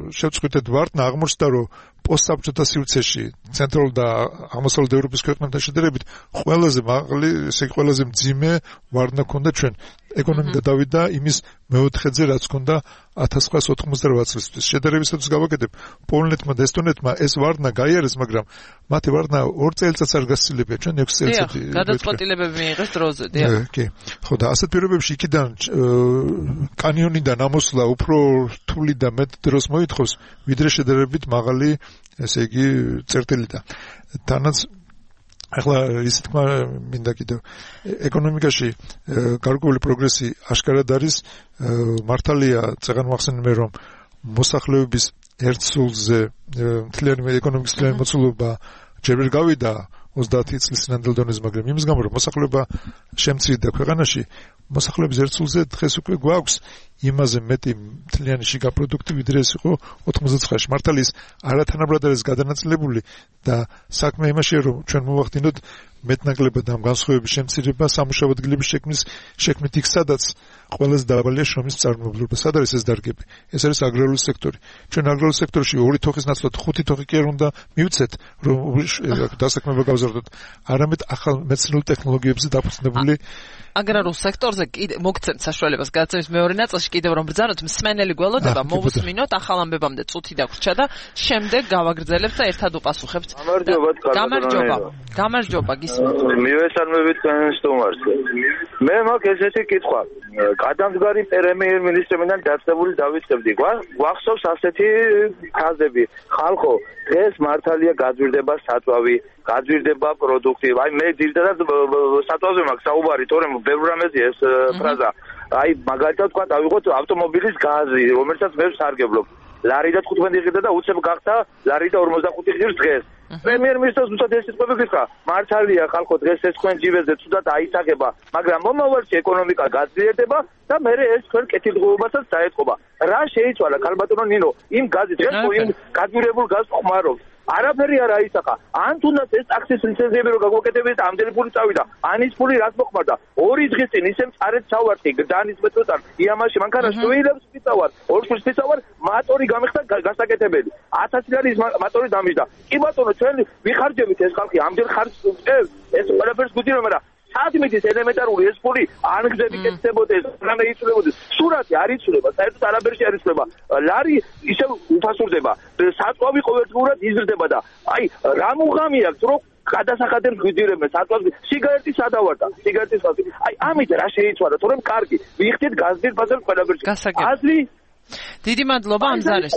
Speaker 3: შევწყვიტეთ ვარდნა, აღმოჩნდა რომ პოსტსაბჭოთა სივრცეში ცენტრალურ და აღმოსავლეთ ევროპის ქვეყნებთან შედარებით ყველაზე მაღალი, ესე იგი ყველაზე მძიმე ვარდნა ჰქონდა ჩვენ. ეკონომიკა დავიდა იმის მეოთხედზე, რაც ჰქონდა 1998 წლისთვის. შედარებისათვის გავაკეთებ, პოლონეთმა და ესტონეთმა ეს ვარდნა გაიარეს, მაგრამ მათი ვარდნა 2 წელიწადს არ გასცილებია, ჩვენ 6 წელიწადი.
Speaker 2: გადაწყვეტილებები მიიღეს დროზე, დიახ.
Speaker 3: კი. ხო და ასეთ პირობებში იქიდან კანიონიდან ამოსვლა უფრო რთული და მეტ დროს მოითხოვს, ვიდრე შედარებით მაღალი, ესე იგი, წერტილიდან. თანაც ახლა ისე თქმა მინდა კიდევ ეკონომიკაში გარკვეული პროგრესი აშკარად არის, მართალია წეგან მახსენებენ რომ მოსახლეობის ერთ სულზე მთლიანი ეკონომიკის მთლიანი მოცულობა ჯერ ვერ გავიდა 30 წლის სინამდვილე დონეზე, მაგრამ იმის გამო რომ მოსახლეობა შემცირდა ქვეყანაში, მოსახლეობის ერთ სულზე დღეს უკვე გვაქვს იმაზე მეტი მთლიანი შიგა პროდუქტი, ვიდრე ეს იყო 99-ში. მართალია ის არათანაბრად არის გადანაწილებული და საქმე იმაშია, რომ ჩვენ მოვახდინოთ მეტნაკლებად ამ განსხვავების შემცირება სამუშაო ადგილების შექმნით იქ, სადაც ყველაზე დაბალია შრომის წარმომავლობა. სად არის ეს დარგები? ეს არის აგრარული სექტორი. ჩვენ აგრარულ სექტორში 2 თოხის ნაცვლად 5 თოხი კი არ უნდა მივცეთ, რომ დასაქმება გავზარდოთ. არამედ ახალ მეცნიერულ ტექნოლოგიებზე დაფუძნებული
Speaker 2: აგრარულ სექტორზე კიდე მოგცემთ საშუალებას გადაცემის მეორე ნაწილში კიდევ რომ ბრძანოთ, მსმენელი გველოდება მოვუსმინოთ ახალ ამბებამდე წუთი დაგვრჩა და შემდეგ გავაგრძელებთ და ერთად უპასუხებთ. გამარჯობა გისმენთ.
Speaker 6: მივესალმებით თქვენ სტუმარს. მე მაქვს ესეთი კითხვა. გადამდგარი პრემიერ-მინისტრიდან დაწესებული დავიწყებდი. გვახსოვს ასეთი ფაზები. ხალხო, დღეს მართალია გაძვირდება საწვავი, გაძვირდება პროდუქტი. აი მე ძირითადად საწვავზე მაქვს საუბარი, თორემ ბევრ რამეზეა ეს ფრაზა. აი მაგალითად თქვა დავიღოთ ავტომობილის გაზი, რომელსაც მე ვსარგებლობ. ლარი და 15 ღირდა და უცებ გახდა ლარი და 45 ღირს დღეს. პრემიერ-მინისტრს უცებ ეს სიტყვები გითხრა. მართალია ხალხო დღეს ეს თქვენ ჯიბეზე თუდად აისახება, მაგრამ მომავალში ეკონომიკა გაძლიერდება და მე ეს თქვენ კეთილდღეობასაც დაეთყობა. რა შეიცვალა ქალბატონო ნინო? იმ გაზით დღეს იმ გადმირებულ გაზს ხმარობთ. არაფერი არ აისახა. ან თუნდაც ეს ტაქსის ლიცენზიები რო გაგვაკეთებიეთ, ამდენი ფული წავიდა. ან ის ფული რაც მოხმარდა? 2 დღის წინ ისე მწარეთ ჩავარდი დანის მეტროდან იამაში მანქანას შვილებს ვიწავარ. 2 შვილს ვიწავარ, მატორი გამიხდა გასაკეთებელი. 1000 ლარის მატორი დამიჯდა. კი ბატონო, ჩვენ ვიხარჯებით ეს ხალხი ამდენ ხარჯს უწევს. ეს ყველაფერს გვიძინო, მაგრამ სადმითის ელემენტარული ეს ფული ან გზები კეთდებოდეს, ან იცვლებოდეს. სურათი არ იცვლება, საერთოდ არაფერში არ იცვლება. ლარი ისე უფასურდება. საწვავი ყოველდღურად იზრდება და აი რა მუღამი აქვს რომ გადასახადებს გვიძირებენ საწვავი სიგარეტის ადავარდა სიგარეტის ფასი. აი ამით რა შეიცვალა, თორემ კარგი ვიხდით გაზდით ბაზარს ყველაფერში. აზრი
Speaker 2: დიდი მადლობა ამ ზარეს.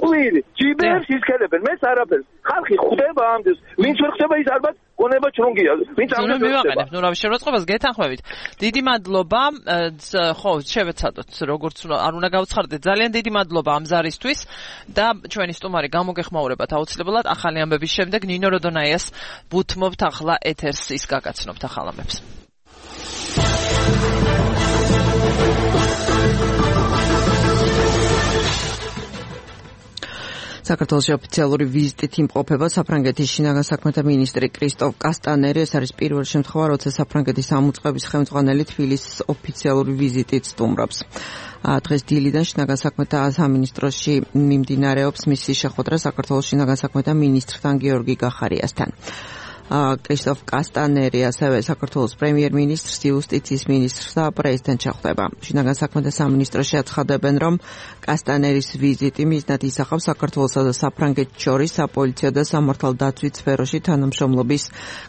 Speaker 6: ჯიბერს ისქელებენ, მეც არაფერს. ხალხი ხვდება ამდენს, ვინც ვერ ხდება ის ალბათ გონება ჩრუნგია. ვინც ამდენს
Speaker 2: მივაყენებ, ნუ რა შევროწყებას გეთანხმებით. დიდი მადლობა. ხო, შევეცადოთ, როგორც არ უნდა გავცხარდეთ. ძალიან დიდი მადლობა ამ ზარისთვის და ჩვენი სტუმარი გამოგეხმაურებათ აუცილებლად ახალი ამბების შემდეგ ნინო როდონაიას ვუთმობთ ახლა ეთერს ის გაგაცნობთ ახალ ამბებს. საქართველოს ოფიციალური ვიზიტით იმყოფება საფრანგეთის შინაგან საქმეთა მინისტრი კრისტოფ კასტანერი. ეს არის პირველი შემთხვევა, როცა საფრანგეთის ამოწყების ხელმძღვანელი თბილისის ოფიციალური ვიზიტით სტუმრობს. დღეს დილიდან შინაგან საქმეთა სამინისტროში მიმდინარეობს მისი შეხვედრა საქართველოს შინაგან საქმეთა მინისტრთან გიორგი გახარიასთან. კრისტოფ კასტანერი ასევე საქართველოს პრემიერ-მინისტრს, იუსტიციის მინისტრს და პრეზიდენტს შეხვდება. შინაგან საქმეთა სამინისტროში აცხადებენ, რომ კასტანერის ვიზიტი მიზნად ისახავს საქართველოსა და საფრანგეთს შორის საპოლიციო და სამართალდაცვით სფეროში თანამშრომლობის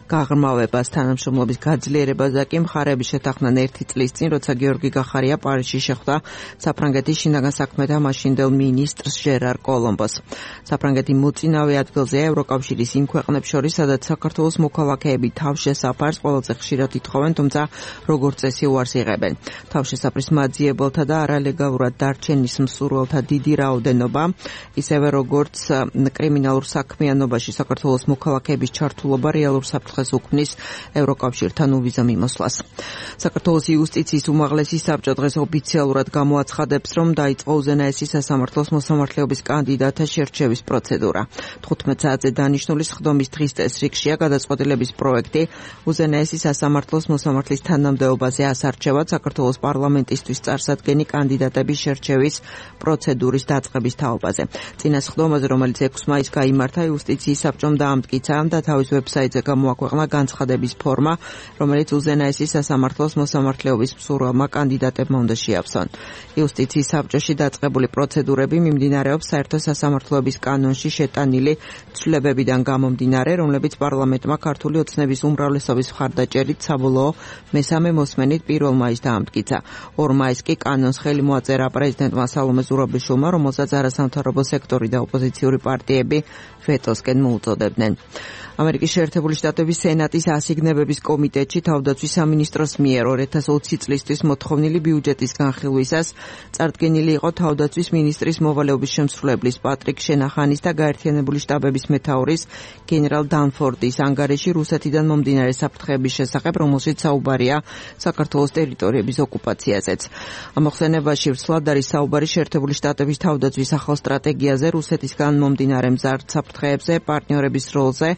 Speaker 2: გაღრმავებას, თანამშრომლობის გაძლიერებაზე კი მხარეების შეთანხმდნენ 1 წლის წინ, როცა გიორგი გახარია პარიზში შეხვდა საფრანგეთის შინაგან საქმეთა მაშინდელ მინისტრს ჟერარ კოლომბოს. საფრანგეთი მოწინავე ადგილზეა ევროკავშირის იმ ქვეყნებს შორის, სადაც საქართველოს მოქალაქეები თავშესაფარს ყველაზე ხშირად ითხოვენ, თუმცა როგორც წესი უარს იღებენ. თავშესაფრის მაძიებელთა და არალეგალურად დარჩენის მსურველთა დიდი რაოდენობა, ისევე როგორც კრიმინალურ საქმიანობაში საქართველოს მოქალაქეების ჩართულობა რეალურ საფრთხეს უქმნის ევროკავშირთან უვიზა მიმოსვლას. საქართველოს იუსტიციის უმაღლესი საბჭო დღეს ოფიციალურად გამოაცხადებს, რომ დაიწყო უზენაესი სასამართლოს მოსამართლეობის კანდიდატთა შერჩევის პროცედურა. 15 საათზე დანიშნული სხდომის დღის წესრიგშია გადაწყვეტილების პროექტი უზენაესი სასამართლოს მოსამართლის თანამდებობაზე ასარჩევად საქართველოს პარლამენტისთვის წარსადგენი კანდიდატების შერჩევის პროცედურის დაწყების თაობაზე. წინა სხდომაზე, რომელიც 6 მაისს გაიმართა, იუსტიციის საბჭომ დაამტკიცა და თავის ვებსაიტზე გამოაქვეყნა განცხადების ფორმა, რომელიც უზენაესი სასამართლოს მოსამართლეობის მსურველმა კანდიდატებმა უნდა შეავსონ. იუსტიციის საბჭოში დაწყებული პროცედურები მიმდინარეობს საერთო სასამართლოების კანონში შეტანილი ცვლილებებიდან გამომდინარე, რომლებიც პარლამენტმა ქართული ოცნების უმრავლესობის მხარდაჭერით საბოლოო მესამე მოსმენით 1 მაისს დაამტკიცა. 2 მაისს კი კანონს ხელი მოაწერა პრეზიდენტმა სალომე ზურაბიშვილმა, რომელსაც არასამთავრობო სექტორი და ოპოზიციური პარტიები ვეტოსკენ მოუწოდებდნენ. ამერიკის შეერთებული შტატების სენატის ასიგნებების კომიტეტში თავდაცვის სამინისტროს მიერ 2020 წლისთვის მოთხოვნილი ბიუჯეტის განხილვისას წარდგენილი იყო თავდაცვის მინისტრის მოვალეობის შემსრულებლის პატრიკ შენახანის და გაერთიანებული შტაბების მეთაურის გენერალ დანფორდის ანგარიში რუსეთიდან მომდინარე საფრთხეების შესახებ, რომელშიც საუბარია საქართველოს ტერიტორიების ოკუპაციაზეც. ამოხსენებაში ვრცლად არის საუბარი შეერთებული შტატების თავდაცვის ახალ სტრატეგიაზე, რუსეთისგან მომდინარე მზარდ საფრთხეებზე, პარტნიორების როლზე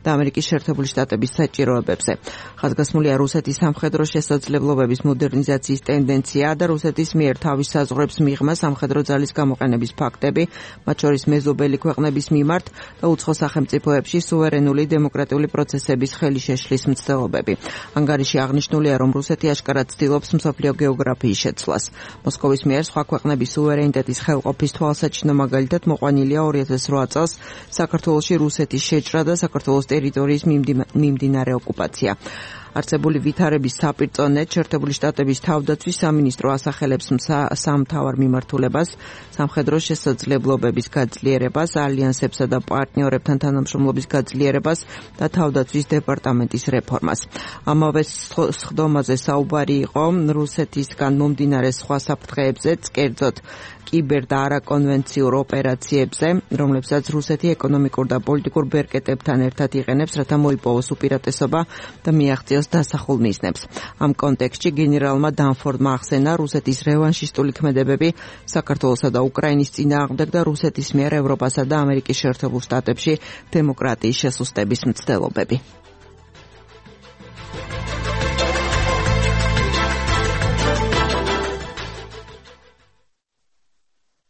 Speaker 2: და ამერიკის შეერთებული შტატების საჭიროებებზე. ხაზგასმულია რუსეთის სამხედრო შესაძლებლობების მოდერნიზაციის ტენდენცია და რუსეთის მიერ თავის საზღვრებს მიღმა სამხედრო ძალის გამოყენების ფაქტები, მათ შორის მეზობელი ქვეყნების მიმართ და უცხო სახელმწიფოებში სუვერენული დემოკრატიული პროცესების ხელი შეშლის მცდელობები. ანგარიში აღნიშნულია, რომ რუსეთი აშკარად ცდილობს მსოფლიო გეოგრაფიის შეცვლას. მოსკოვის მიერ სხვა ქვეყნების სუვერენიტეტის ხელყოფის თვალსაჩინო მაგალითად მოყვანილია 2008 წელს საქართველოში რუსეთის შეჭრა და საქართველოს ტერიტორიის მიმდინარე ოკუპაცია.
Speaker 7: არსებული ვითარების საპირწონედ შეერთებული შტატების თავდაცვის სამინისტრო ასახელებს სამ მთავარ მიმართულებას: სამხედრო შესაძლებლობების გაძლიერებას, ალიანსებსა და პარტნიორებთან თანამშრომლობის გაძლიერებას და თავდაცვის დეპარტამენტის რეფორმას. ამავე სხდომაზე საუბარი იყო რუსეთისგან მომდინარე სხვა საფრთხეებზეც, კერძოდ კიბერ და არაკონვენციურ ოპერაციებზე, რომლებსაც რუსეთი ეკონომიკურ და პოლიტიკურ ბერკეტებთან ერთად იყენებს, რათა მოიპოვოს უპირატესობა და მიაღწიოს დასახულ მიზნებს. ამ კონტექსტში გენერალმა დანფორდმა ახსენა რუსეთის რევანშისტული ქმედებები საქართველოსა და უკრაინის წინააღმდეგ და რუსეთის მიერ ევროპასა და ამერიკის შეერთებულ შტატებში დემოკრატიის შესუსტების მცდელობები.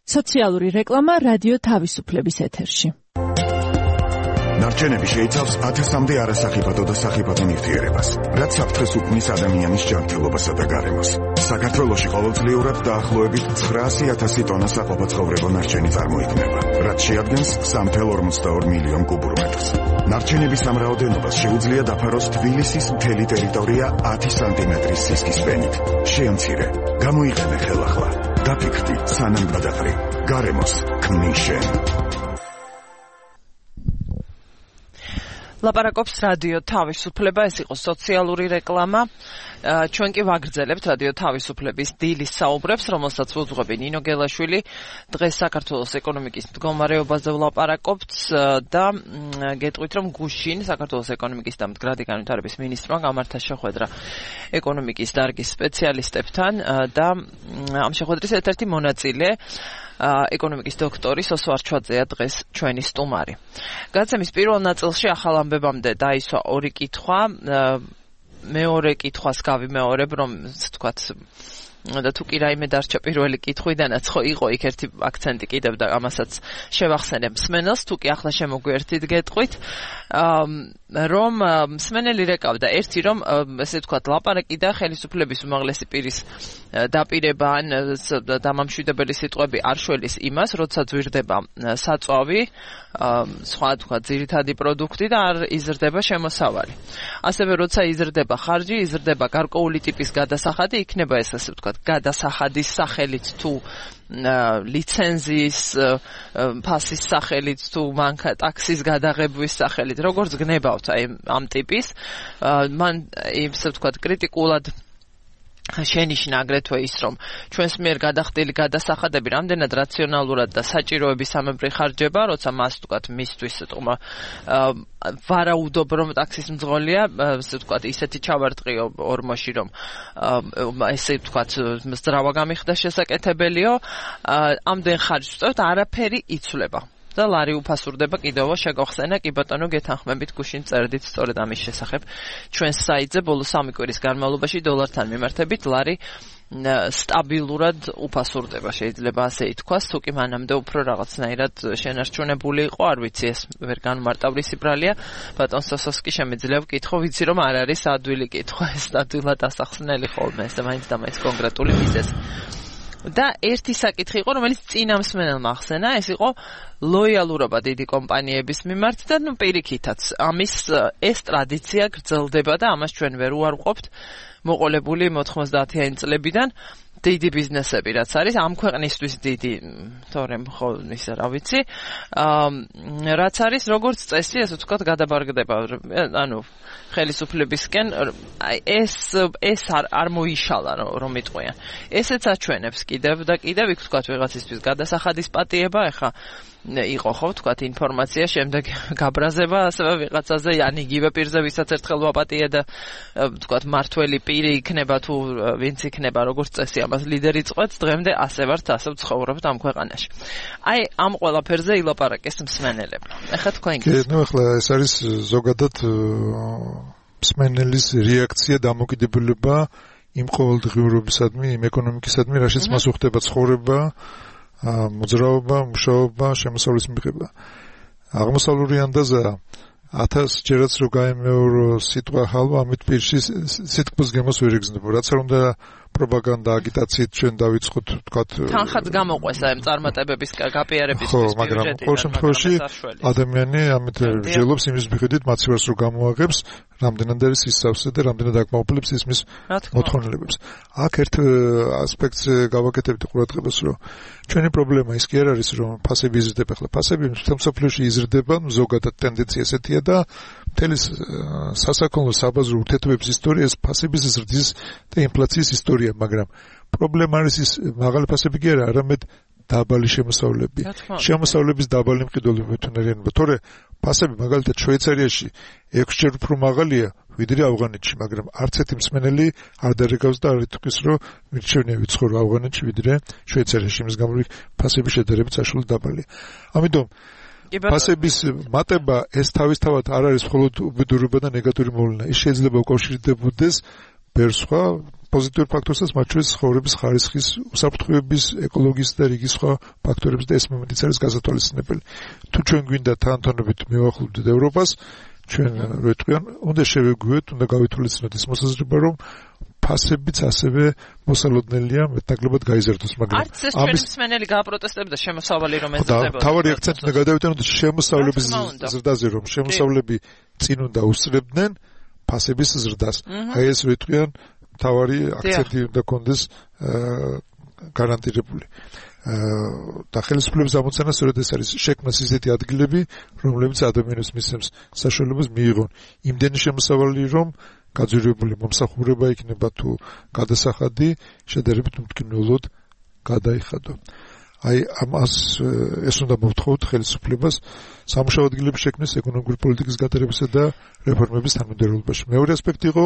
Speaker 8: სოციალური რეკლამა რადიო თავისუფლების ეთერში.
Speaker 9: ნარჩენები შეიცავს 1000-მდე არასახიფათო და სახიფათო ნივთიერებას, რაც საფრთხეს უქმნის ადამიანის ჯანმრთელობასა და გარემოს. საქართველოში ყოველწლიურად დაახლოებით 900,000 ტონა საყოფაცხოვრებო ნარჩენი წარმოიქმნება, რაც შეადგენს 3,42 მილიონ კუბურ მეტრს. ნარჩენების ამ რაოდენობას შეუძლია დაფაროს თბილისის მთელი ტერიტორია 10 სანტიმეტრის სისქის ფენით. შეამცირე, გამოიყენე ხელახლა. დაფიქრდი, სანამ გადაყრი. გარემოს ქმნის შენ.
Speaker 2: ლაპარაკობს რადიო თავისუფლება, ეს იყო სოციალური რეკლამა. ჩვენ კი ვაგრძელებთ რადიო თავისუფლების დილის საუბრებს, რომელსაც უძღვები ნინო გელაშვილი. დღეს საქართველოს ეკონომიკის მდგომარეობაზე ვლაპარაკობთ და გეტყვით, რომ გუშინ საქართველოს ეკონომიკის და მდგრადი განვითარების მინისტრმა გამართა შეხვედრა ეკონომიკის დარგის სპეციალისტებთან და ამ შეხვედრის ერთ-ერთი მონაწილე ეკონომიკის დოქტორი სოსო არჩვაძეა დღეს ჩვენი სტუმარი. გადაცემის პირველ ნაწილში ახალ ამბებამდე დაისვა ორი კითხვა. მეორე კითხვას გავიმეორებ, რომ თქვათ და თუ კი რაიმე დარჩა პირველი კითხვიდანაც ხო იყო იქ ერთი აქცენტი კიდევ და ამასაც შევახსენებ მსმენელს, თუ კი ახლა შემოგვიერთით გეტყვით, რომ მსმენელი რეკავდა ერთი, რომ ესე თქვათ ლაპარაკი და ხელისუფლების უმაღლესი პირის დაპირება ან დამამშვიდებელი სიტყვები არ შველის იმას, როცა ძვირდება საწვავი, სხვა თქვათ ძირითადი პროდუქტი და არ იზრდება შემოსავალი. ასევე როცა იზრდება ხარჯი, იზრდება გარკვეული ტიპის გადასახადი, იქნება ეს ასე ვთქვათ გადასახადის სახელით თუ ლიცენზიის ფასის სახელით თუ მანქა ტაქსის გადაღებვის სახელით, როგორც გნებავთ აი ამ ტიპის, მან ისე ვთქვათ კრიტიკულად შენიშნა აგრეთვე ის, რომ ჩვენს მიერ გადახდილი გადასახადები რამდენად რაციონალურად და საჭიროების სამებრი ხარჯება, როცა მას ვთქვათ მისთვის თქმა ვარაუდობ, რომ ტაქსის მძღოლია, ასე ვთქვათ ისეთი ჩავარტყიო ორმოში, რომ ესე ვთქვათ მძრავა გამიხდა შესაკეთებელიო, ამდენ ხარჯს ვწევთ, არაფერი იცვლება. და ლარი უფასურდება კიდევ შეგახსენა კი ბატონო გეთანხმებით გუშინ წერდით სწორედ ამის შესახებ ჩვენს საიტზე ბოლო 3 კვირის განმავლობაში დოლართან მიმართებით ლარი სტაბილურად უფასურდება, შეიძლება ასე ითქვას, თუ კი მანამდე უფრო რაღაცნაირად შენარჩუნებული იყო, არ ვიცი, ეს ვერ განმარტავი სიბრალია. ბატონ სოსოსკი შემიძლია ვკითხო, ვიცი რომ არ არის ადვილი კითხვა, ეს ადვილად ასახსნელი ხოლმე, ეს მაინც და მაინც კონკრეტული მიზეზი. და ერთი საკითხი იყო, რომელიც წინა მსმენელმა ახსენა, ეს იყო ლოიალურობა დიდი კომპანიების მიმართ და პირიქითაც ამის ეს ტრადიცია გრძელდება და ამას ჩვენ ვერ უარყოფთ მოყოლებული 90-იანი წლებიდან დიდი ბიზნესები რაც არის ამ ქვეყნისთვის დიდი თორემ ხო ისა რა ვიცი რაც არის როგორც წესი ასე ვთქვათ გადაბარგდება ანუ ხელისუფლებისკენ აი ეს არ მოიშალა რომ იტყვიან ესეც აჩვენებს კიდევ და კიდევ იქ ვთქვათ ვიღაცისთვის გადასახადის პატიება ეხა იყო ხო ვთქვათ ინფორმაცია შემდეგ გაბრაზება ასევე ვიღაცაზე ან იგივე პირზე ვისაც ერთხელ ვაპატიე და ვთქვათ მართველი პირი იქნება თუ ვინც იქნება როგორც წესი ამას ლიდერი წყვეტს დღემდე ასე ვართ ასე ვცხოვრობთ ამ ქვეყანაში აი ამ ყველაფერზე ილაპარაკეს მსმენელებმა ეხლა თქვენ გიცნობთ
Speaker 3: ნუ ეხლა ეს არის ზოგადად მსმენელის რეაქცია დამოკიდებულება იმ ყოველდღიურობისადმი იმ ეკონომიკისადმი რაშიც მას უხდება ცხოვრება მოძრაობა, მუშაობა, შემოსავლის მიღება. აღმოსავლური ანდაზა 1000 ჯერაც რო გაიმეორო სიტყვა ხალვა, ამით პირში სიტყვის გემოს ვერ იგრძნობ. რაც არ უნდა პროპაგანდა აგიტაციით ჩვენ დავიწყოთ თქვათ
Speaker 2: თანხაც გამოყვეს ამ წარმატებების გაპიარების
Speaker 3: ხო, მაგრამ ყოველ შემთხვევაში ადამიანი ამით ვჯელობს იმის მიხედვით მაცივარს რო გამოაღებს, რამდენად არის ისავსე და რამდენად აკმაყოფილებს ისმის მოთხოვნილებებს. აქ ერთ ასპექტს გავაკეთებთ ყურადღებას, რომ ჩვენი პრობლემა ის კი არ არის, რომ ფასები იზრდება, ხლა ფასები მსოფლიოში იზრდება, ზოგადად ტენდენცია ესეთია და მთელი სასაქონლო საბაზრო ურთიერთობების ისტორია ეს ფასების ზრდის და ინფლაციის ისტორია, მაგრამ პრობლემა არის ის მაღალი ფასები კი არა, არამედ დაბალი შემოსავლები. შემოსავლების დაბალი მყიდველობა თუნდაც, თორე ფასები მაგალითად შვეიცარიაში 6-ჯერ უფრო მაღალია ვიდრე ავღანეთში, მაგრამ არც ერთი მსმენელი არ დარეკავს და არ იტყვის, რომ მირჩევნია ვიცხოვრო ავღანეთში ვიდრე შვეიცარიაში, იმის გამო ფასების შედარებით საშუალო დაბალია. ამიტომ ფასების მატება ეს თავისთავად არ არის მხოლოდ უბედურება და ნეგატიური მოვლენა. ის შეიძლება უკავშირდებოდეს ბევრ სხვა პოზიტიურ ფაქტორსაც, მათ შორის ცხოვრების ხარისხის, უსაფრთხოების, ეკოლოგიის და რიგი სხვა ფაქტორებს და ეს მომენტიც არის გასათვალისწინებელი. თუ ჩვენ გვინდა თანთონებით მივახლოვდეთ ევროპას, ჩვენ რო იტყვიან, უნდა შევეგვიოთ, უნდა გავითვალისწინოთ ის მოსაზრება, რომ ფასებიც ასევე მოსალოდნელია, მეტნაკლებად გაიზარდოს, მაგრამ
Speaker 2: არც ეს ჩვენი მსმენელი გააპროტესტებდა შემოსავალი რომ ეწოდებოდა.
Speaker 3: თავარი აქცენტი უნდა გადავიტანოთ შემოსავლების ზრდაზე, რომ შემოსავლები წინ უნდა უსწრებდნენ ფასების ზრდას. აი ეს რო იტყვიან, თავარი აქცენტი უნდა კონდეს გარანტირებული. და ხელისუფლების ამოცანა სწორედ ეს არის, შექმნას ისეთი ადგილები, რომლებიც ადამიანებს მისცემს საშუალებას მიიღონ იმდენი შემოსავალი, რომ გაძვირებული მომსახურება იქნება თუ გადასახადი შედარებით უმტკივნეულად გადაიხადო. აი ამას ეს უნდა მოვთხოვოთ ხელისუფლებას სამუშაო ადგილების შექმნის, ეკონომიკური პოლიტიკის გატარებისა და რეფორმების თანმიმდევრობაში. მეორე ასპექტი იყო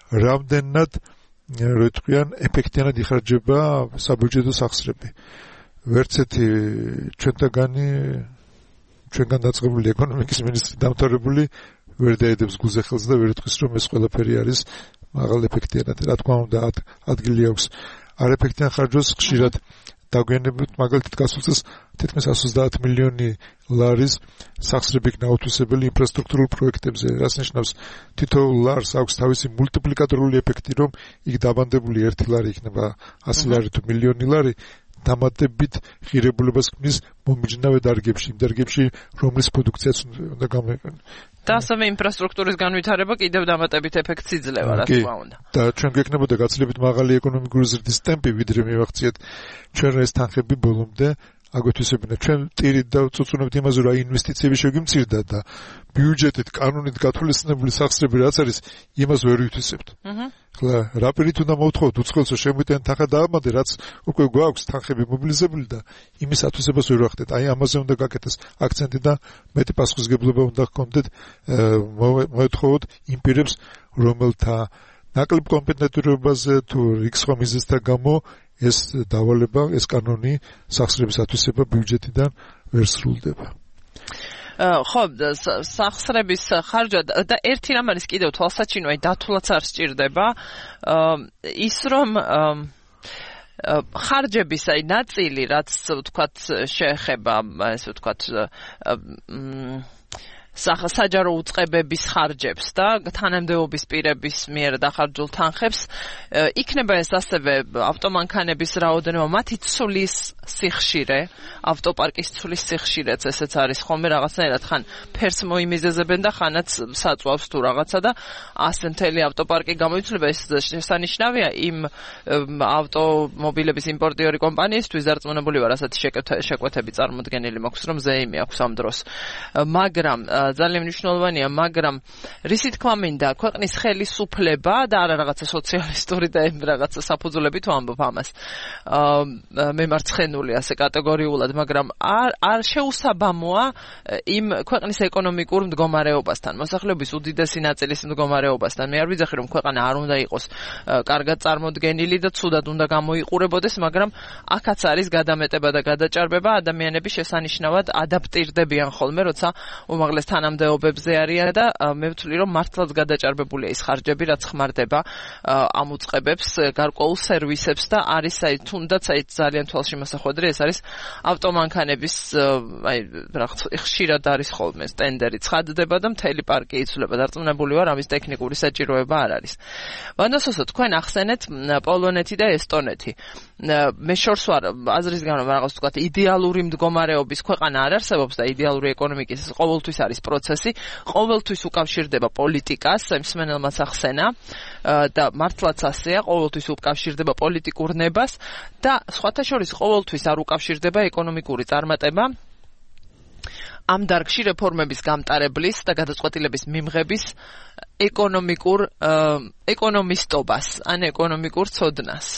Speaker 3: რამდენად რო იტყვიან ეფექტიანად იხარჯება საბიუჯეტო სახსრები. ვერც ერთი ჩვენგან დაწყებული ეკონომიკის მინისტრი დამთავრებული ვერ დაედებს გულზე ხელს და ვერ იტყვის, რომ ეს ყველაფერი არის მაღალ ეფექტიანად. რა თქმა უნდა, ადგილი აქვს არ ეფექტიან ხარჯვას ხშირად დაგვიანებით, მაგალითად გასულ წელს თითქმის 130 მილიონი ლარის სახსრები იქნა უთვისებელი ინფრასტრუქტურულ პროექტებზე, რაც ნიშნავს თითოეულ ლარს აქვს თავისი მულტიპლიკატორული ეფექტი, რომ იქ დაბანდებული 1 ლარი იქნება 100 ლარი თუ მილიონი ლარი, დამატებით ღირებულებას ქმნის მომიჯნავე დარგებში, იმ დარგებში, რომლის პროდუქციაც უნდა გამოიყენოს.
Speaker 2: და ასევე ინფრასტრუქტურის განვითარება კიდევ დამატებით ეფექტს იძლევა, რა თქმა უნდა.
Speaker 3: და ჩვენ გვექნებოდა გაცილებით მაღალი ეკონომიკური ზრდის ტემპი, ვიდრე მივახციეთ ჩვენ ეს თანხები ბოლომდე აგვეთვისებინა. ჩვენ ტირით და წუწუნებთ იმაზე, რომ ინვესტიციები შეგვიმცირდა და ბიუჯეტით, კანონით გათვალისწინებული სახსრები რაც არის, იმას ვერ ვითვისებთ. ხლა რა პირით უნდა მოვთხოვოთ უცხოელს, რომ შემოიტანეთ თანხა დაამატე, რაც უკვე გვაქვს თანხები მობილიზებული და იმის ათვისებას ვერ ვახდეთ. აი ამაზე უნდა გაკეთდეს აქცენტი და მეტი პასუხისგებლობა უნდა ჰქონდეთ მოვთხოვოთ იმ პირებს, რომელთა ნაკლებ კომპეტენტურობაზე თუ რიგ სხვა მიზეზთა გამო ეს დავალება, ეს კანონი სახსრების ათვისება ბიუჯეტიდან ვერ სრულდება.
Speaker 2: ხო, სახსრების ხარჯვა და ერთი რამ არის კიდევ თვალსაჩინო, აი დათვლაც არ სჭირდება. ის რომ ხარჯების აი ნაწილი, რაც ვთქვათ შეეხება, ესე ვთქვათ საჯარო უწყებების ხარჯებს და თანამდებობის პირების მიერ დახარჯულ თანხებს, იქნება ეს ასევე ავტომანქანების რაოდენობა, მათი ცვლის სიხშირე, ავტოპარკის ცვლის სიხშირეც ესეც არის ხოლმე რაღაცნაირად ხან ფერს მოიმიზეზებენ და ხანაც საწვავს თუ რაღაცა და ასე მთელი ავტოპარკი გამოიცვლება. ეს შესანიშნავია იმ ავტომობილების იმპორტიორი კომპანიისთვის, დარწმუნებული ვარ, ასეთი შეკვეთები წარმოდგენილი მაქვს, რომ ზეიმი აქვს ამ დროს. მაგრამ ძალიან მნიშვნელოვანია, მაგრამ რისი თქმა მინდა, ქვეყნის ხელისუფლება და არა რაღაცა სოციალისტური და რაღაცა საფუძვლები თუ ამბობ ამას. მემარცხენული ასე კატეგორიულად, მაგრამ არ შეუსაბამოა იმ ქვეყნის ეკონომიკურ მდგომარეობასთან, მოსახლეობის უდიდესი ნაწილის მდგომარეობასთან. მე არ ვიძახი, რომ ქვეყანა არ უნდა იყოს კარგად წარმოდგენილი და ცუდად უნდა გამოიყურებოდეს, მაგრამ აქაც არის გადამეტება და გადაჭარბება, ადამიანები შესანიშნავად ადაპტირდებიან ხოლმე, როცა უმაღლეს თანამდებობებზე არიან და მე ვთვლი რომ მართლაც გადაჭარბებულია ის ხარჯები რაც ხმარდება ამ უწყებებს გარკვეულ სერვისებს და არის თუნდაც ძალიან თვალში მოსახვედრი ეს არის ავტომანქანების ხშირად არის ხოლმე ტენდერი ცხადდება და მთელი პარკი იცვლება დარწმუნებული ვარ ამის ტექნიკური საჭიროება არ არის. ვანდასოსო თქვენ ახსენეთ პოლონეთი და ესტონეთი. მე შორს ვარ აზრის გამო რაღაც თქვა იდეალური მდგომარეობის ქვეყანა არ არსებობს და იდეალური ეკონომიკის ყოველთვის არის პროცესი, ყოველთვის უკავშირდება პოლიტიკას, მსმენელმაც ახსენა და მართლაც ასეა, ყოველთვის უკავშირდება პოლიტიკურ ნებას და სხვათა შორის ყოველთვის არ უკავშირდება ეკონომიკური წარმატება. ამ დარგში რეფორმების გამტარებლის და გადაწყვეტილების მიღების ეკონომისტობას, ან ეკონომიკურ ცოდნას.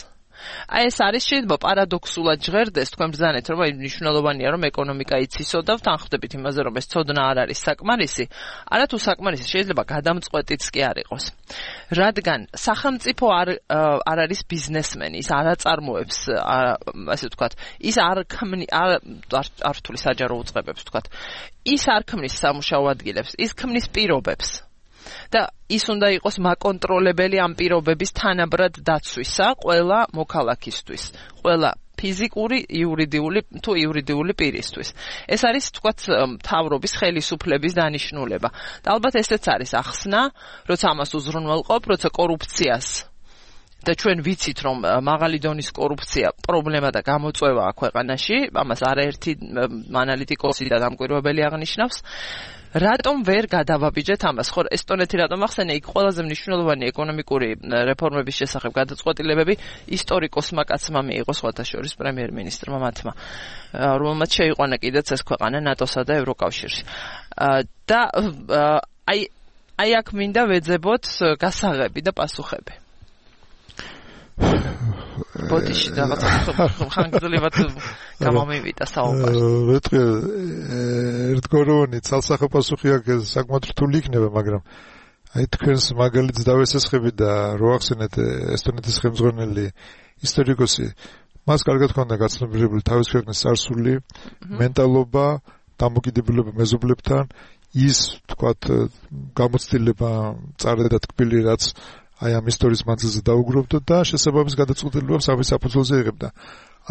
Speaker 2: აი ეს არის შეიძლება პარადოქსულად ჟღერდეს თქვენ ბრძანეთ რომ აი მნიშვნელოვანია რომ ეკონომიკა იცისო და ვთანხმდებით იმაზე რომ ეს ცოდნა არ არის საკმარისი, არათუ საკმარისი შეიძლება გადამწყვეტიც კი არ იყოს. რადგან სახელმწიფო არ არის ბიზნესმენი, ის არ აწარმოებს ასე ვთქვათ, ის არ რთული საჯარო უწყებებს ვთქვათ. ის არ ქმნის სამუშაო ადგილებს, ის ქმნის პირობებს. და ის უნდა იყოს მაკონტროლებელი ამ პირობების თანაბრად დაცვისა ყველა მოქალაქისთვის, ყველა ფიზიკური, იურიდიული თუ იურიდიული პირისთვის. ეს არის თქვათ მთავრობის ხელისუფლების დანიშნულება. და ალბათ ესეც არის ახსნა, როცა ამას უზრუნველყოფ, როცა კორუფციას და ჩვენ ვიცით რომ მაღალი დონის კორუფცია პრობლემა და გამოწვევაა ქვეყანაში, ამას არაერთი ანალიტიკოსი და დამკვირვებელი აღნიშნავს. რატომ ვერ გადავაბიჯეთ ამას? ხო, ესტონეთი რატომ ახსენე? იქ ყველაზე მნიშვნელოვანი ეკონომიკური რეფორმების შესახებ გადაწყვეტილებები ისტორიკოსმა კაცმა მიიღო სხვათა შორის პრემიერ-მინისტრმა მათმა, რომელმაც შეიყვანა კიდეც ეს ქვეყანა ნატოსა და ევროკავშირში. და აი აქ მინდა ვეძებოთ გასაღები და პასუხები. ბოდიში რაღაცა ხანგრძლივად გამომივიდა საუბარი.
Speaker 3: ერთგვაროვანი ცალსახე პასუხი აქ საკმაოდ რთული იქნება, მაგრამ აი თქვენს მაგალითს დავესესხები და რო ახსენეთ ესტონეთის ხელმძღვანელი ისტორიკოსი, მას კარგად ჰქონდა გაცნობიერებული თავის ქვეყნის წარსული, მენტალობა, დამოკიდებულება მეზობლებთან, ის თქვათ გამოცდილება წარდა და თქმილი რაც აი ამ ისტორიის მანძილზე დაუგროვდა და შესაბამის გადაწყვეტილებებს ამის საფუძველზე იღებდა.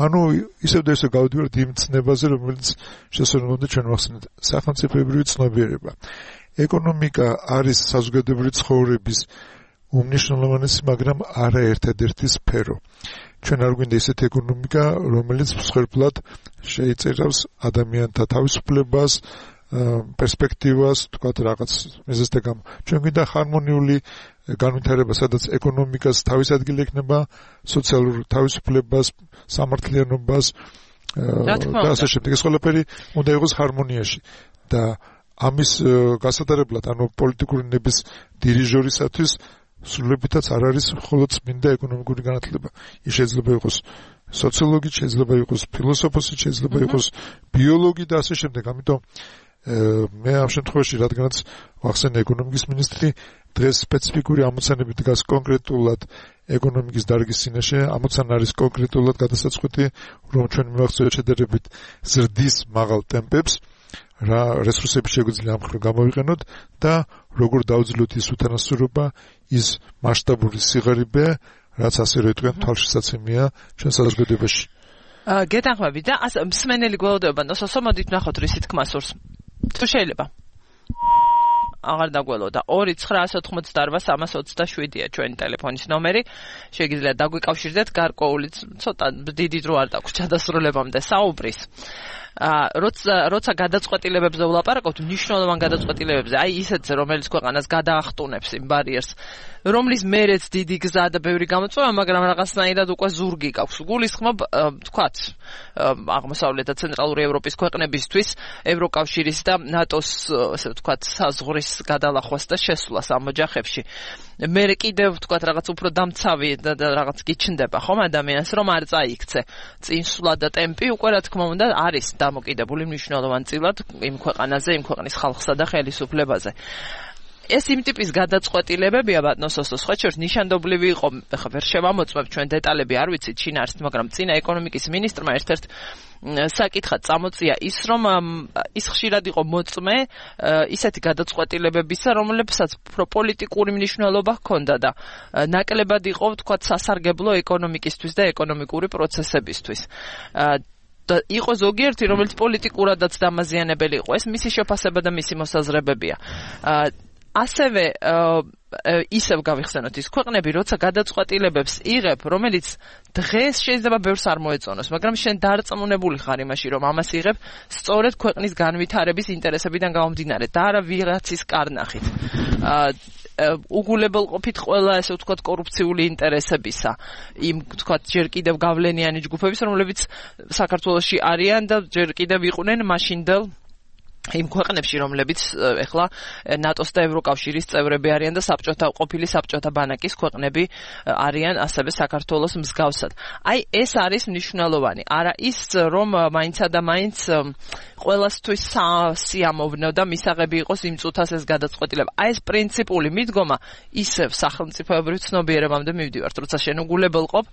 Speaker 3: ანუ ისევ და ისევ გავდივართ იმ ცნებაზე, რომელიც შესაძლოა ჩვენ ვახსენეთ, სახელმწიფოებრივი ცნობიერება. ეკონომიკა არის საზოგადოებრივი ცხოვრების უმნიშვნელოვანესი, მაგრამ არა ერთადერთი სფერო. ჩვენ არ გვინდა ისეთი ეკონომიკა, რომელიც მსხვერპლად შეიწერავს ადამიანთა თავისუფლებას, პერსპექტივას, თქვათ რაღაც მიზეზთა გამო. ჩვენ გვინდა ჰარმონიული განვითარება, სადაც ეკონომიკას თავის ადგილი ექნება სოციალურ თავისუფლებას, სამართლიანობას და ასე შემდეგ. ეს ყველაფერი უნდა იყოს ჰარმონიაში და ამის გასატარებლად, ანუ პოლიტიკური ნების დირიჟორისათვის სრულებითაც არ არის მხოლოდ წმინდა ეკონომიკური განათლება. ის შეიძლება იყოს სოციოლოგი, შეიძლება იყოს ფილოსოფოსი, შეიძლება იყოს ბიოლოგი და ასე შემდეგ. ამიტომ მე ამ შემთხვევაში რადგანაც ვახსენე ეკონომიკის მინისტრი დღეს სპეციფიკური ამოცანები დგას კონკრეტულად ეკონომიკის დარგის წინაშე, ამოცანა არის კონკრეტულად გადასაწყვეტი, რომ ჩვენ მივახცევთ შედარებით ზრდის მაღალ ტემპებს, რა რესურსები შეგვიძლია ამ მხრივ გამოვიყენოთ და როგორ დავძლოთ ის უთანასწორობა, ის მასშტაბური სიღარიბე, რაც ასე რომ იტყვიან თვალშისაცემია ჩვენ საზოგადოებაში.
Speaker 2: გეთანხმები და მსმენელი გველოდება და მოსმოდით ნახოთ რისი თქმა სურს. თუ შეიძლება აღარ დაგველოდა 2-988-327-ია ჩვენი ტელეფონის ნომერი. შეგიძლიათ დაგვიკავშირდეთ გარკვეული ცოტა დიდი დრო არ დაგვჭირდა დასრულებამდე საუბრის. როცა გადაწყვეტილებებზე ვლაპარაკობთ, მნიშვნელოვან გადაწყვეტილებებზე, აი ისეთზე, რომელიც ქვეყანას გადაახტუნებს იმ ბარიერს, რომლის მერეც დიდი გზა და ბევრი გამოწვევა, მაგრამ რაღაცნაირად უკვე ზურგი გაქვს. გულისხმობ, თქვათ, აღმოსავლეთ და ცენტრალური ევროპის ქვეყნებისთვის ევროკავშირის და ნატოს, ასე ვთქვათ, საზღვრის გადალახვას და შესვლას ამ ოჯახებში. მე კიდევ ვთქვათ, რაღაც უფრო დამცავი და რაღაც გიჩნდება ხომ ადამიანს, რომ არ წაიქცე წინსვლა და ტემპი უკვე რა თქმა უნდა არის დამოკიდებული მნიშვნელოვან წილად იმ ქვეყანაზე, იმ ქვეყნის ხალხსა და ხელისუფლებაზე. ეს იმ ტიპის გადაწყვეტილებებია ბატონოსოს სხვა შორის ნიშანდობლივი იყო, ხა ვერ შევამოწმებ ჩვენ დეტალები არ ვიცით შინ არის, მაგრამ წინა ეკონომიკის მინისტრმა ერთ-ერთ საკითხად წამოწია ის, რომ ის ხშირად იყო მოწმე ისეთი გადაწყვეტილებებისა, რომლებსაც პოლიტიკური მნიშვნელობა ჰქონდა და ნაკლებად იყო, ვთქვათ, სასარგებლო ეკონომიკისთვის და ეკონომიკური პროცესებისთვის. იყო ზოგიერთი, რომელიც პოლიტიკურადაც დამაზიანებელი იყო. ეს მისი შეფასება და მისი მოსაზრებებია. ასევე ისევ გავიხსენოთ ის ქვეყნები, როცა გადაწყვეტილებებს იღებ, რომელიც დღეს შეიძლება ბევრს არ მოეწონოს, მაგრამ შენ დარწმუნებული ხარ იმაში, რომ ამას იღებ სწორედ ქვეყნის განვითარების ინტერესებიდან გამომდინარე და არა ვიღაცის კარნახით. უგულებელყოფით ყველა ესე ვთქვათ კორუფციული ინტერესებისა, იმ ვთქვათ ჯერ კიდევ გავლენიანი ჯგუფების, რომლებიც საქართველოში არიან და ჯერ კიდევ იყვნენ მაშინდელ იმ ქვეყნებში, რომლებიც ეხლა ნატოს და ევროკავშირის წევრები არიან და ყოფილი საბჭოთა ბანაკის ქვეყნები არიან ასევე საქართველოს მსგავსად. აი ეს არის მნიშვნელოვანი. არა ის, რომ მაინცა და მაინც ყველასთვის სიამოვნო და მისაღები იყოს იმ წუთას ეს გადაწყვეტილება. აი ეს პრინციპული მიდგომა ისევ სახელმწიფოებრივ ცნობიერებამდე მივდივართ, როცა შენ უგულებელყოფ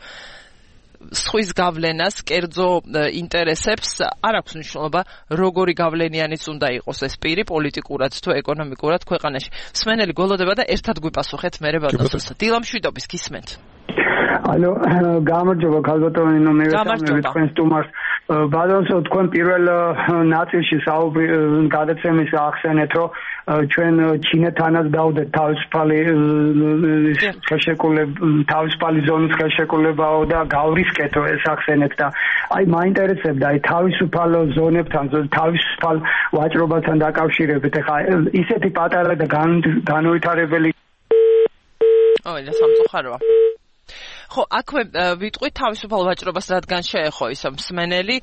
Speaker 2: სხვის გავლენას, კერძო ინტერესებს, არ აქვს მნიშვნელობა, როგორი გავლენიანიც უნდა იყოს ეს პირი, პოლიტიკურად თუ ეკონომიკურად ქვეყანაში. მსმენელი გველოდება და ერთად გვიპასუხეთ მერე ბატონოსო. დილა მშვიდობის, გისმენთ.
Speaker 10: ალო, გამარჯობა ქალბატონო, მე ვესწავლები თქვენ სტუმარს. ბატონო, თქვენ პირველ ნაწილში გადაცემის ახსენეთ, რომ ჩვენ ჩინეთანაც დავდეთ თავისუფალი ზონის ხელშეკრულებაო და გავრისკეთო ეს ახსენეთ და აი მაინტერესებდა აი თავისუფალ ზონებთან, თავისუფალ ვაჭრობასთან დაკავშირებით. ეხლა ისეთი პატარა და განუვითარებელი
Speaker 2: ოღონდ სამწუხაროა. ხო, აქვე ვიტყვით თავისუფალ ვაჭრობას, რადგან შეეხო ის მსმენელი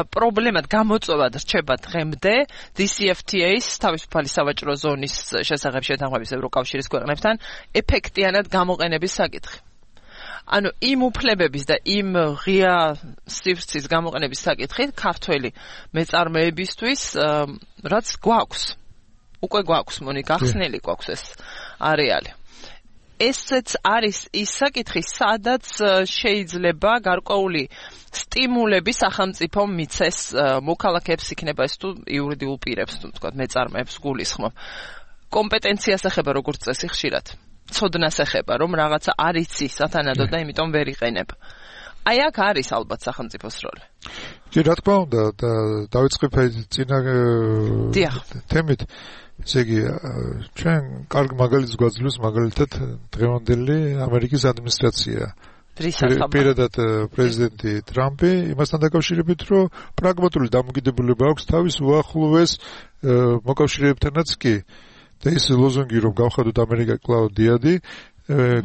Speaker 2: პრობლემად გამოწვევად რჩება დღემდე DCFTA-ის თავისუფალი სავაჭრო ზონის შესახებ შეთანხმების ევროკავშირის ქვეყნებთან ეფექტიანად გამოყენების საკითხი. ანუ იმ უფლებების და იმ ღია სივრცის გამოყენების საკითხით ქართველი მეწარმეებისთვის რაც გვაქვს. უკვე გვაქვს, მონიკა, ხსნელი გვაქვს ეს არეალი. ესეც არის ის საკითხი, სადაც შეიძლება გარკვეული სტიმულები სახელმწიფომ მიცეს მოქალაქეებს, იქნება ეს თუ იურიდიულ პირებს, თუ თქვა მეწარმეებს გულისხმობ. კომპეტენციას ეხება როგორც წესი ხშირად. ცოდნას ეხება, რომ რაღაცა არ იცი სათანადო და იმიტომ ვერ იყენებ. აი აქ არის ალბათ სახელმწიფოს როლი.
Speaker 3: კი, რა თქმა უნდა, დავიწყებ წინა თემით. ესე იგი, ჩვენ კარგ მაგალითს გვაძლევს მაგალითად დღევანდელი ამერიკის ადმინისტრაცია. პირადად პრეზიდენტი ტრამპი იმასთან დაკავშირებით, რომ პრაგმატული დამოკიდებულება აქვს თავის უახლოეს მოკავშირეებთანაც კი. და ის ლოზუნგი, რომ გავხადოთ ამერიკა კვლავ დიადი,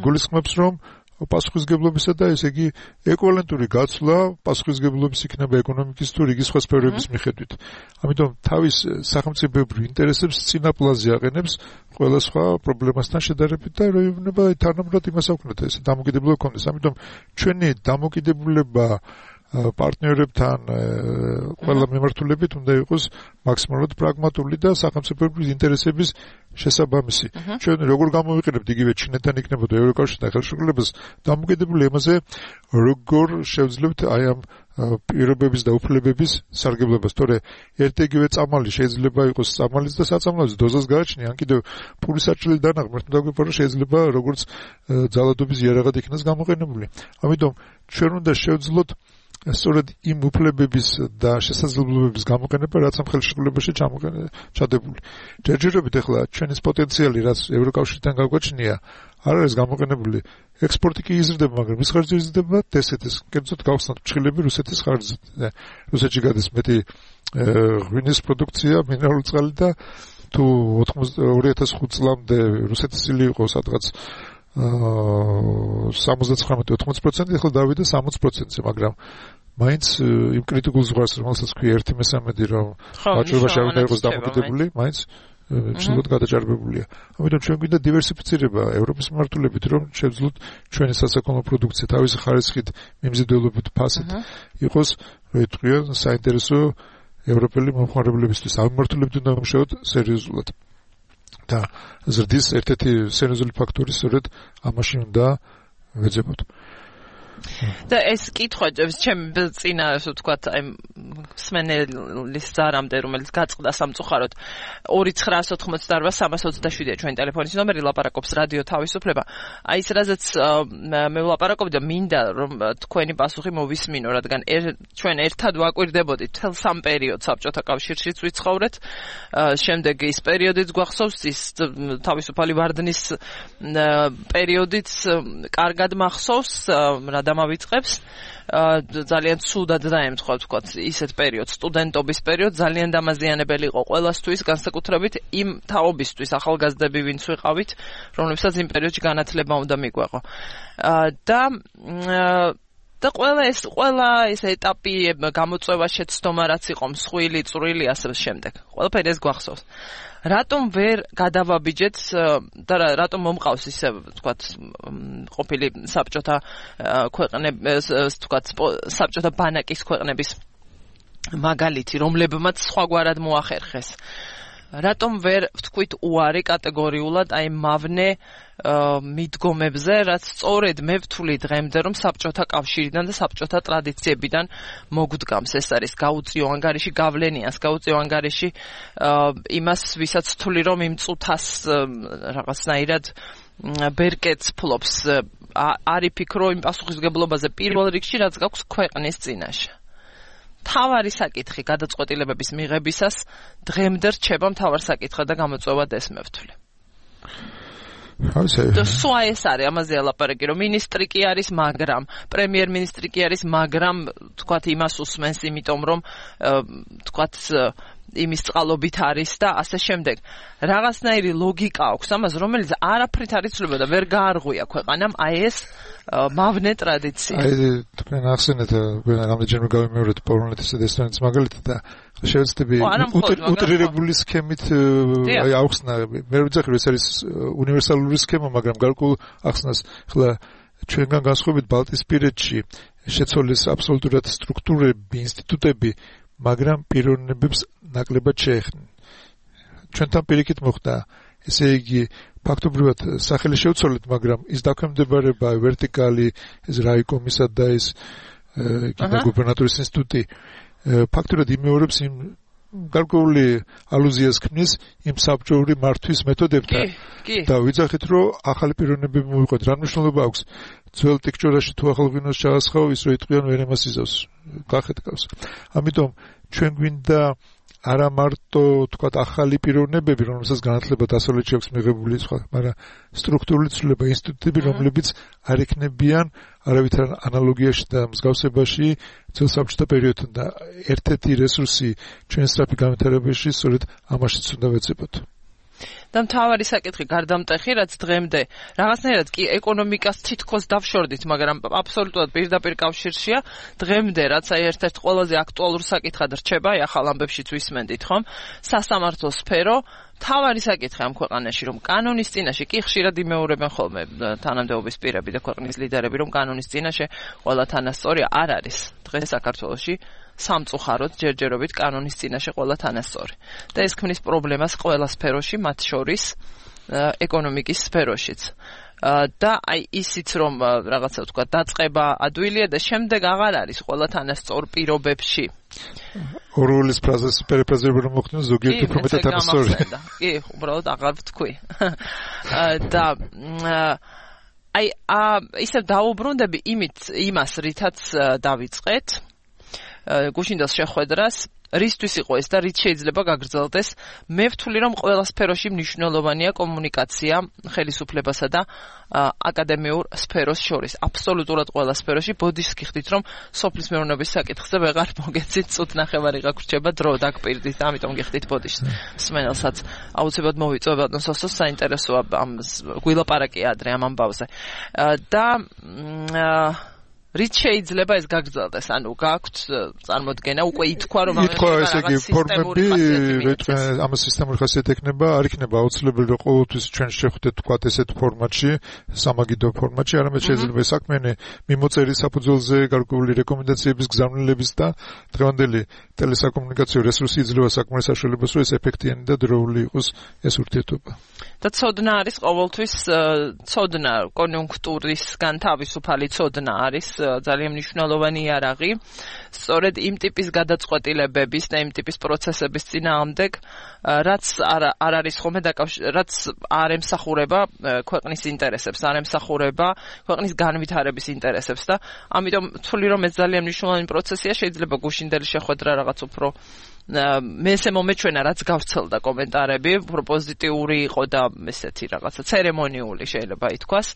Speaker 3: გულისხმობს, რომ პასუხისგებლობისა და ესე იგი ეკვივალენტური გაცვლა პასუხისგებლობის იქნება ეკონომიკის თუ რიგი სხვა სფეროების მიხედვით. ამიტომ თავის სახელმწიფოებრივ ინტერესებს წინა პლანზე აყენებს ყველა სხვა პრობლემასთან შედარებით და როინება თანაბრად იმას აქვთ ეს დამოკიდებულება კონდეს. ამიტომ ჩვენი დამოკიდებულება პარტნიორებთან ყველა მიმართულებით უნდა იყოს მაქსიმალურად პრაგმატული და სახელმწიფოებრივი ინტერესების შესაბამისი. ჩვენ როგორ გამოვიყენებთ იგივე ჩინეთთან იქნებოდა ევროკავშირთან ხელშეკრულებას დამოკიდებული იმაზე, როგორ შევძლებთ აი ამ პირობების და უფლებების სარგებლობას. თორე ერთ-იგივე წამალი შეიძლება იყოს წამალის და საწამლავის დოზას გააჩნია, ან კიდევ ფულის საჭრელი დანაღმერთი უნდა გვიყვარო შეიძლება როგორც ძალადობის იარაღად იქნას გამოყენებული. ამიტომ ჩვენ უნდა შევძლოთ სწორედ იმ უფლებების და შესაძლებლობების გამოყენება, რაც ამ ხელშეკრულებაში ჩადებული. ჯერჯერობით ახლა ჩვენის პოტენციალი, რაც ევროკავშირთან გაგვაჩნია, არ არის გამოყენებული. ექსპორტი კი იზრდება, მაგრამ ის ხარჯი იზრდება დსთ-ს. კერძოდ გავხსნათ ფრჩხილები რუსეთის ხარჯზე. რუსეთში გადის მეტი ღვინის პროდუქცია, მინერალური წყალი და თუ 2005 წლამდე რუსეთის სილი იყო სადღაც 79-80%, ახლა დავიდა 60%-ზე, მაგრამ მაინც იმ კრიტიკულ ზღვარს, რომელსაც ქვია 1/3, რომ ვაჭრობაში არ უნდა იყოს დამოკიდებული, მაინც ცუდად გადაჭარბებულია. ამიტომ ჩვენ გვინდა დივერსიფიცირება ევროპის მიმართულებით, რომ შევძლოთ ჩვენი სასაქონლო პროდუქცია თავისი ხარისხით, მიმზიდველობით, ფასით იყოს, საინტერესო ევროპელი მომხმარებლებისთვის. ამ მიმართულებით უნდა ვიმუშაოთ სერიოზულად. და ზრდის ერთ-ერთი სერიოზული ფაქტორი სწორედ ამაში უნდა ვეძებოთ.
Speaker 2: და ეს კითხვა ჩემ წინა ასე ვთქვათ აი სმენელის ზარამდე რომელიც გაწყდა სამწუხაროდ 2988-327-ია ჩვენი ტელეფონის ნომერი ლაპარაკობს რადიო თავისუფლება აი ეს რაზეც მე ვლაპარაკობდი და მინდა რომ თქვენი პასუხი მოვისმინო რადგან ჩვენ ერთად ვაკვირდებოდით თელ სამ პერიოდს საბჭოთა კავშირშიც ვიცხოვრეთ შემდეგ ის პერიოდიც გვახსოვს ის თავისუფალი ვარდნის პერიოდიც კარგად მახსოვს დამავიწყებს ძალიან ცუდად დაემთხვა ვთქვათ ისეთ პერიოდს სტუდენტობის პერიოდ ძალიან დამაზიანებელი იყო ყველასთვის განსაკუთრებით იმ თაობისთვის ახალგაზრდები ვინც ვიყავით რომლებსაც იმ პერიოდში განათლება უნდა მიგვეყო და ყველა ეს ეტაპი გამოწვევა შეცდომა რაც იყო მსხვილი წვრილი ასე შემდეგ ყველაფერი ეს გვახსოვს რატომ ვერ გადავაბიჯეთ და რატომ მომყავს ისე ვთქვათ ყოფილი საბჭოთა ქვეყნების ვთქვათ საბჭოთა ბანაკის ქვეყნების მაგალითი რომლებმაც სხვაგვარად მოახერხეს რატომ ვერ ვთქვით უარი კატეგორიულად აი მავნე მიდგომებზე რაც სწორედ მე ვთვლი დღემდე რომ საბჭოთა კავშირიდან და საბჭოთა ტრადიციებიდან მოგდგამს ეს არის გაუწიო ანგარიში გავლენიას გაუწიო ანგარიში იმას ვისაც ვთვლი რომ იმ წუთას რაღაცნაირად ბერკეტს ფლობს არ იფიქრო იმ პასუხისგებლობაზე პირველ რიგში რაც გაქვს ქვეყნის წინაშე თავარი საკითხი გადაწყვეტილებების მიღებისას დღემდე რჩება მთავარ საკითხად და გამოწვევად ეს მე ვთვლი. და სვა ეს არის ამაზე ლაპარაკი რომ მინისტრი კი არის მაგრამ პრემიერ-მინისტრი კი არის მაგრამ თქვათ იმას უსმენს იმიტომ რომ თქვათ იმის წყალობით არის და ასე შემდეგ. რაღაცნაირი ლოგიკა აქვს ამას რომელიც არაფრით არ იცვლება და ვერ გაარღვია ქვეყანამ აი ეს მავნე ტრადიცია.
Speaker 3: აი თქვენ ახსენეთ რამდენჯერმე გავიმეორეთ პოლონეთის და ესტონეთის მაგალითად და შევეცდები უტრირებული სქემით აი ახსნა მე ვიძახი რომ ეს არის უნივერსალური სქემა მაგრამ გარკვეულ ახსნას ხლა ჩვენგან განსხვავებით ბალტიისპირეთში შეცვალეს აბსოლუტურად სტრუქტურები ინსტიტუტები მაგრამ პიროვნებებს ნაკლებად შეეხნენ ჩვენთან პირიქით მოხდა ესე იგი ფაქტობრივად სახელი შევცვალეთ მაგრამ ის დაქვემდებარება ვერტიკალი ეს რაიკომისა და ეს გუბერნატორის ინსტიტუტი ფაქტობრივად იმეორებს იმ გარკვეული ალუზიას ქმნის იმ საბჭოური მართვის მეთოდებთან და ვიძახით რომ ახალი პიროვნებები მოვიყვეთ რა მნიშვნელობა აქვს ძველ ტიქჭორაში თუ ახალ ღვინოს ჩაასხავ ის რო იტყვიან ვერ ემას იზავს გახეთქავს ამიტომ ჩვენ გვინდა არა მარტო თქვა ახალი პიროვნებები რომელსაც განათლება დასავლეთში აქვს მიღებული სხვა მაგრამ სტრუქტურული ცვლილება ინსტიტუტები რომლებიც არ იქნებიან არავითარ ანალოგიაში და მსგავსებაში ძველ საბჭოთა პერიოდთან და ერთ-ერთი რესურსი ჩვენ სწრაფი განვითარებაში სწორედ ამაშიც უნდა ვეძებოთ
Speaker 2: და მთავარი საკითხი გარდამტეხი რაც დღემდე რაღაცნაირად კი ეკონომიკას თითქოს დავშორდით მაგრამ აბსოლუტურად პირდაპირ კავშირშია დღემდე რაც აი ერთ-ერთ ყველაზე აქტუალურ საკითხად რჩება აი ახალ ამბებშიც ვისმენდით ხომ სასამართლო სფერო თავარი საკითხი ამ ქვეყანაში რომ კანონის წინაშე კი ხშირად იმეორებენ ხოლმე თანამდებობის პირები და ქვეყნის ლიდერები რომ კანონის წინაშე ყველა თანასწორი არ არის დღეს საქართველოში სამწუხაროდ ჯერჯერობით კანონის წინაშე ყველა თანასწორი და ეს ქმნის პრობლემას ყველა სფეროში მათ შორის ეკონომიკის სფეროშიც და აი ისიც რომ რაღაცა თქვა დაწყება ადვილია და შემდეგ აღარ არის ყველა თანასწორ პირობებში
Speaker 3: ორველის ფრაზას პერიფრაზები რომ მოხდეს ზოგიერთი უფრო მეტად თანასწორი
Speaker 2: კი უბრალოდ აღარ ვთქვი და აი ისევ დაუბრუნდები იმას რითაც დავიწყეთ გუშინდელს შეხვედრას რისთვის იყო ეს და რით შეიძლება გაგრძელდეს მე ვთვლი რომ ყველა სფეროში მნიშვნელოვანია კომუნიკაცია ხელისუფლებასა და აკადემიურ სფეროს შორის აბსოლუტურად ყველა სფეროში ბოდიშს გიხდით რომ სოფლის მეურნეობის საკითხზე ვეღარ მოგეცით წუთნახევარი გაგრჩება დრო დაგპირდით ამიტომ გიხდით ბოდიშს სმენელსაც აუცილებლად მოვიწვევ ბატონსოსოს საინტერესოა ამ გვილაპარაკი ადრე ამ ამბავზე და რით შეიძლება ეს გაგრძელდეს? ანუ გაქვთ წარმოდგენა უკვე ითქვა რომ
Speaker 3: ესე იგი ფორმები ამას სისტემური ხასიათი ექნება, არ იქნება აუცილებელი რომ ყოველთვის ჩვენ შევხვდეთ თქვა ესეთ ფორმატში, სამაგიდო ფორმატში, არამედ შეიძლება საქმიანი მიმოწერი საფუძველზე გარკვეული რეკომენდაციების გზავნილების და დღევანდელი ტელესაკომუნიკაციო რესურსი იძლევა საკმარის საშუალებას, რომ ეს ეფექტიანი და დროული იყოს ეს ურთიერთობა.
Speaker 2: და ცოდნა არის ყოველთვის ცოდნა კონიუნქტურისგან თავისუფალი ცოდნა არის ძალიან მნიშვნელოვანი იარაღი. სწორედ იმ ტიპის გადაწყვეტილებების და იმ ტიპის პროცესების წინააღმდეგ, რაც არ არის ხომე რაც არ ემსახურება ქვეყნის ინტერესებს, არ ემსახურება ქვეყნის განვითარების ინტერესებს და ამიტომ ვთვლი რომ ეს ძალიან მნიშვნელოვანი პროცესია, შეიძლება გუშინდელი შეხვედრა რაღაც უფრო მე ესე მომეჩვენა რაც გავრცელდა კომენტარები, უფრო პოზიტიური იყო და ესეთი რაღაცა ცერემონიული შეიძლება ითქვას,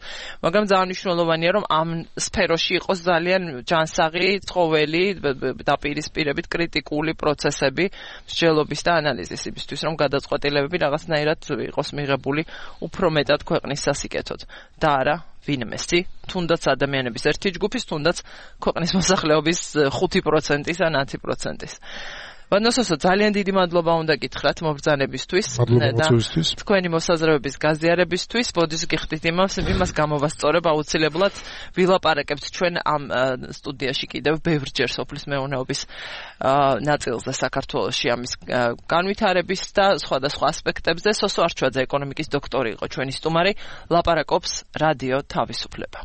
Speaker 2: მაგრამ ძალიან მნიშვნელოვანია რომ ამ სფეროში იყოს ძალიან ჯანსაღი, ცხოველი, დაპირისპირებით კრიტიკული პროცესები, მსჯელობის და ანალიზის იმისთვის, რომ გადაწყვეტილებები რაღაცნაირად იყოს მიღებული უფრო მეტად ქვეყნის სასიკეთოდ და არა ვინმესი, თუნდაც ადამიანების ერთი ჯგუფის, თუნდაც ქვეყნის მოსახლეობის 5%-ის ან 10%-ის. ვანოსოსო ძალიან დიდი მადლობა უნდა გითხრათ მობრძანებისთვის და თქვენი მოსაზრებების გაზიარებისთვის. ბოდის გიხდით იმას გამოვასწორებ აუცილებლად ვილაპარაკებთ ჩვენ ამ სტუდიაში კიდევ ბევრჯერ სოფლის მეურნეობის ნაწილზე საქართველოში ამის განვითარების და სხვადასხვა ასპექტებზე. სოსო არჩვაძე ეკონომიკის დოქტორი იყო ჩვენი სტუმარი, ლაპარაკობს რადიო თავისუფლება.